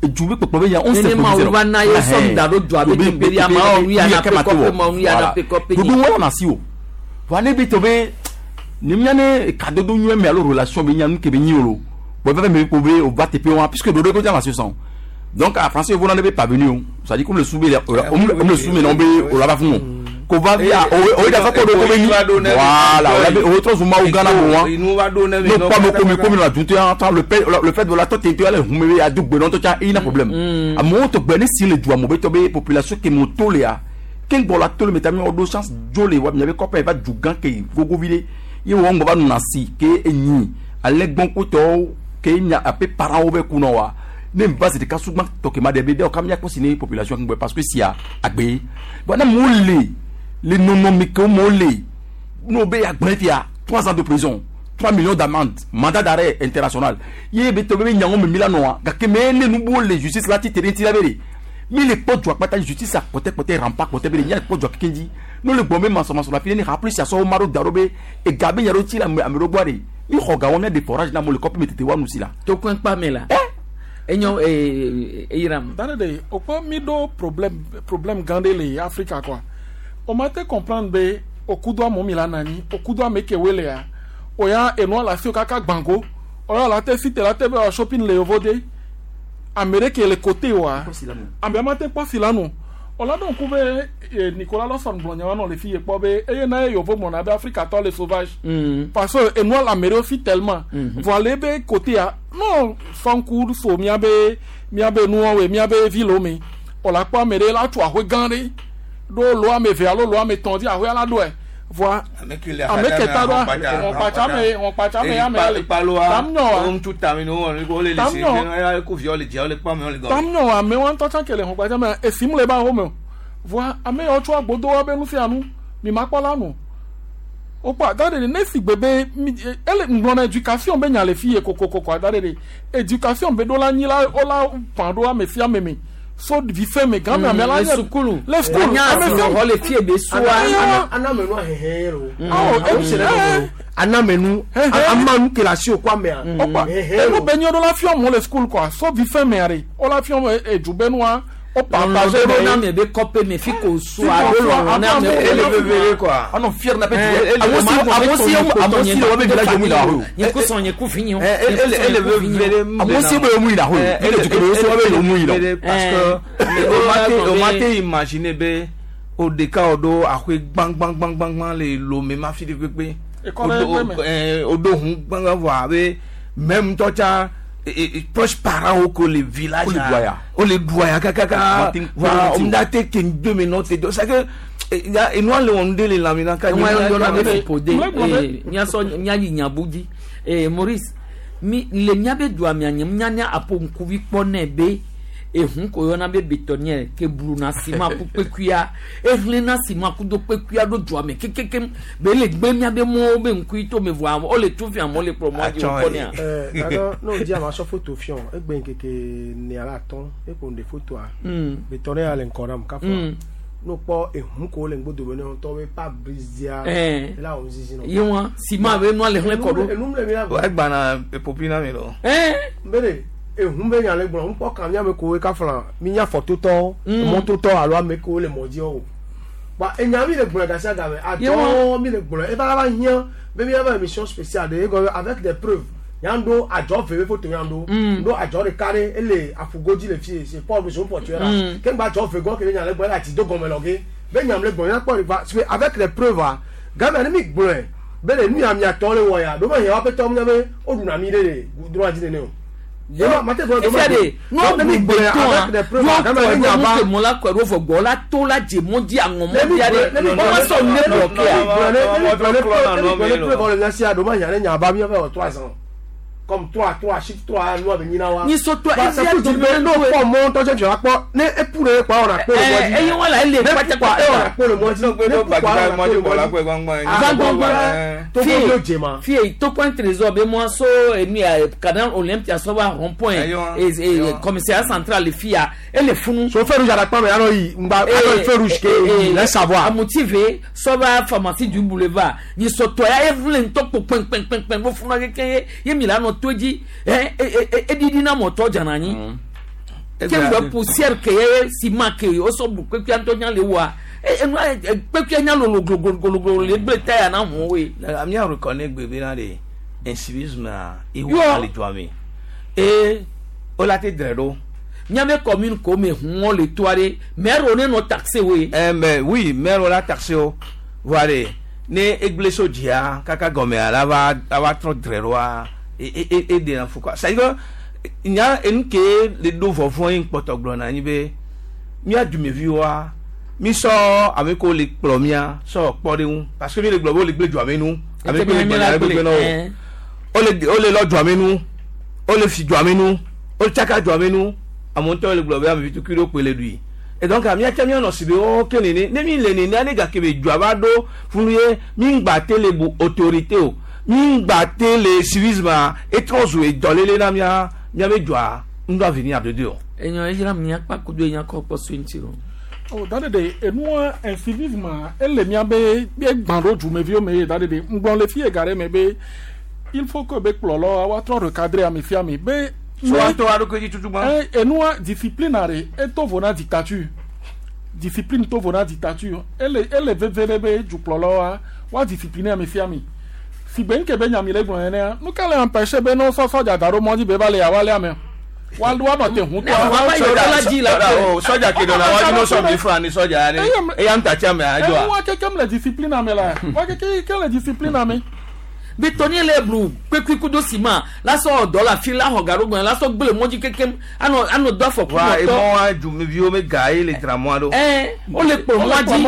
Q: edu be kpɔkpɔ be ya on se
A: ne ma wo va na ye sɔm da ɖo dzua be be ya ma wo nu ya na pe kɔpe ma nu ya na pe kɔpe
Q: dodo wɔna na si o wa ne be tɔ be ne mia ne kadodo nyuie me alo relation be nya nu ke be nyi o lo bon va me ko be o va te pe wa puisque dodo ko dza na si sɔn. Donc, à français, vous n'en avez pas venu. Ça dit comme le soubé, on le soumet, on le va fond. Qu'on va via, on est d'accord de voilà, on avait autre chose, au Ghana, non, pas comme comme la douté, le fait le fait de la tête, tu allais, vous à double, non, tu as un problème. À mon tour, ben si le doigt, mon population qui monte léa, quel bon la tole, mais t'as mis en deux chances, jolé, ouais, il y avait quoi, il va du gang qui gogo vilé, il va nous nancy, qui est ni, à l'aigle bon couteau, qui est à peu parents au bec ou non. Ne base de kasugba tokema de bede okamia ko sine population ngbe parce que si a agbe bon na mole le non non me ko mole no be agbe fia trois ans de prison trois millions d'amende mandat d'arrêt international ye be to be nyango me milano ga ke me ne nu bo le justice la ti terrain ti la bere mi le po dwa pata justice a côté côté rempart côté be nya po dwa kendi no le bombe manso manso la fini rappeler si so maro darobe e gabe nyaro ti la amero boare mi khoga won de forage na mo le copie metete wa nu si la
A: to kwen pa me la enyo eh Iram
C: dare o ko mi do problème problème grande le Africa quoi o ma te comprendre be o kudo mo mi la nani o kudo me ke wele ya o ya eno la fi kaka gbango o ya la te site la te be shopping le ovode Amérique le côté wa ambe ma te po filanu o la don kube Nicolas Lawson blonyawa non les filles po be eye na yovo mon abe Africa to les sauvages parce que eno la Amérique fi tellement voilà be côté a non fanku so mi abe mi abe nu we mi abe ville me o la pa mere la tu ahwe ganre do lo ame ve alo lo ame tondi ahwe ala do e voa ame keta do on pacha me on pacha me ame ale tamno
D: on tu tamino on go le le ko viole dia le pa me on le go
C: tamno ame wan to chan kele on pacha me e sim le ba ho me voa ame o tu agbodo wa be nu fi anu mi ma pa la nu o pa dare ne si gbebe ele ngbona éducation be nya le fi koko koko dare éducation be do la nyi la o la pando ame fi ame me so vi fe me grand me la
A: le sukulu
C: le sukulu
A: ame fi le fi be suwa
V: ana menu hehe ro o se le ana menu amanu ke la si o kwa me a
C: o pa e be nyo do la fi o le sukulu quoi so vi fe me are o la fi o e ju be nua o partager
A: na me be copé me fi ko so a do lo na me
D: ele vere quoi
Q: ah non fier na pe amosi amosi amosi o be village mu la ho
A: ni ko son ni ko finyo
D: ele ele vere
Q: amosi be mu la ho ele du ko so be mu la
D: parce que o ma te o ma te imaginer be o de ka o do ahwe gbang gbang gbang gbang le lo me ma fi de pepe o do hun gbang va be même toi cha et proche parent au le village o le doya kaka va on a te ke deux minutes deux c'est que et nous le on le lamina ka
A: ni on be pode nya so nya yi nya budi eh Maurice mi le nya be doa mi anya nya nya apo nkuvi kpo na be ehun ko yona be bétonnière ke bruna sima ku pekuya ehle na sima ku do pekuya do doa me kekeke be le gbe nya be mo be nkui to me voa o le tu fi am o le promo di o konia
V: eh alors no di ama so photo fion e gbe nkeke ni ala ton e ko nde photo a bétonnière ale nkora m ka fo no po ehun ko le ngbodo be no to be pa brizia la o zizi no
A: yewa sima be no ale hle ko do
V: enum le mi la
D: o egba na popina mi lo
A: eh
V: mbere ehun be nya le gbon npo kan mi ame ko we ka flan mi nya photo to moto to alo ame ko le modi o ba enya mi le gbon ga sa ga me ajo mi le gbon e ba ba hian be mi ba émission spéciale de avec des preuves yando ajo veve photo yando ndo ajo de carré ele afugoji le fi c'est pas besoin pour tuer là ken ba ajo ve go ke nya le gbon la ti do gon me lo ke be nya le gbon ya po avec les preuves ga me mi gbon be le nu ya mi ato le wo ya do ma hian wa pe to mi be o duna mi le droit di ne o
A: Efia de n'o mi gbetɔn a n'o kɔ mɔ la kɔ ɛrɔ fɔ gbɔ la to la dze mɔ di aŋɔ mɔ di a de o ma sɔn ne bloqué
V: a. Comme trois trois chiffre trois nous avec nina wa.
A: Ni so toi
V: e fi du me no po mon to je akpo ne e pure kwa ona pe le modi.
A: E yin wala ele pata
V: kwa e ona pe le modi.
K: Ne kwa ona pe le modi.
A: Gbangba
V: to go jema.
A: Fi to point trésor be mo so enu canal Olympia so ba rond point et et commissariat central le fia et le funu.
V: So feu rouge adakpa me ano yi ngba ano feu rouge ke laisse savoir.
A: A motivé so ba pharmacie du boulevard. Ni so to ya e vule nto po pen pen pen pen bo funu keke ye mi la no toji eh eh edidi na moto janani ke poussière ke ciment ke o so bu pe anto nya le wa e pe nya lo lo lo lo le gbe taya na mo we
D: la mi reconnaît bébé na de incivisme e wo le doame e o la te dredo
A: nyame commune ko me huon le toare maire on no taxé we
D: eh mais oui maire on la taxé o voilà ne egble so dia kaka gome ala va va trop dredo et et et de l'info quoi ça veut dire il y a une que les deux vont une porte glona ni be mi a du me viwa mi so avec les plomia so port de parce que mi les globaux les blé du amenu avec les blé no o le o le lo du amenu o le fi du amenu o le chaka du amenu a monter le global mi tout kilo pele lui et donc mi a tami on sibe o kenene ne mi le ne ne ga kebe du abado funu ye mi ngba tele bu autorité o mi gbate le civisme et trop joué dans les na mia mia be joa ndo avenir à deux
A: enyo ejira mi apa kudo enya ko po swinti o
C: oh dade de enu un civisme elle mia be be gbando ju me vi me dade de ngbon le fi egare me be il faut que be plolo wa trop recadrer a mi fi ami be
D: so to aro ko ji tutu gba
C: enu discipline are e to vona dictature discipline to vona dictature elle elle vevere be ju plolo wa wa discipliner mi fi ami si ben ke ben nyamile gbon ene nu ka le empêcher ben no so so ja daro mo di be ba le awa le ame wa lu wa te hun to
A: wa
D: soja di la o soja ke do na wa no so bi fra ni soja ni e ya nta cha me ajo
C: a wa ke kem le discipline ame la wa ke ke le discipline ame
A: betoni le blu pekui kudo ciment la so dollar fi la ho garo gbon la so gbele moji kekem ano ano do afọ
D: wa e mo wa ju mi bi o me ga ile tra mo ado
A: eh o le po mo ji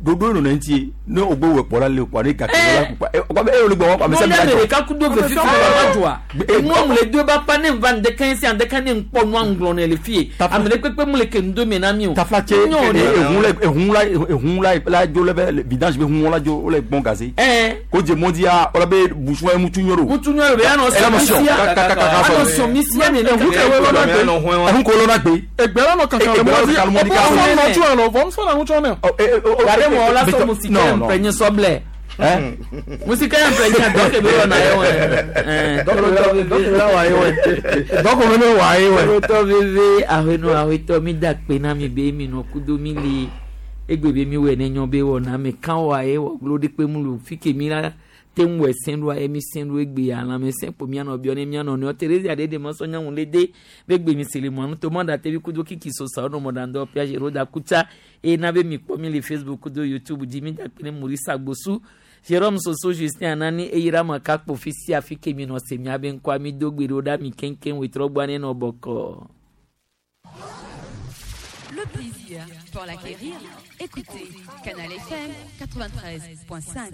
Q: dodo no nti ne ogbo we po la le kwa ni ka ke la kupa e kwa e o le gbo kwa me se
A: mi ajo ka kudo ve fi fi la joa e mo mu le deux ba pa ne van de quinze en de kan ne npo no anglo ne le fi amele pepe mu le ke ndo me na mi o
Q: tafla che e hun le e hun la e hun la la jo le vidange be hun la jo o le bon gazé
A: eh
Q: ko je mo dia o la be bouchon e mutu nyoro
A: mutu nyoro be ano se ano so misia ne
Q: le hun ko lo na gbe
C: egbe la no kankan le mo di o no tu ano vom so na nu cho ne
A: gare mo la so musike mpenye soble eh musike mpenye donc be na yo eh
V: donc donc la wa yo donc on me wa yo
A: to veve ahenu aweto mi da pe na mi be mi no kudo mi li egbe be mi we ne nyo be wo na mi kan wa e wo glo de pe mu lu fike mi la te nwe senru emi senru egbe ala me sen po mi ana obi oni mi ana oni Teresa de de mo so nyanwun le de be gbe mi sele mo anu to mo da tebi kudo kiki so sa ono mo da ndo pia jero da kuta e na be mi po mi le Facebook kudo YouTube di mi da pe ne Maurice Agbosu Jerome Soso Justin Anani e ira ma ka po fisi afike mi no se mi abe nkwa mi dogbe ro da mi kenken we trogba ne no boko.
B: Le plaisir pour l'acquérir, écoutez Canal F M quatre-vingt-treize point cinq.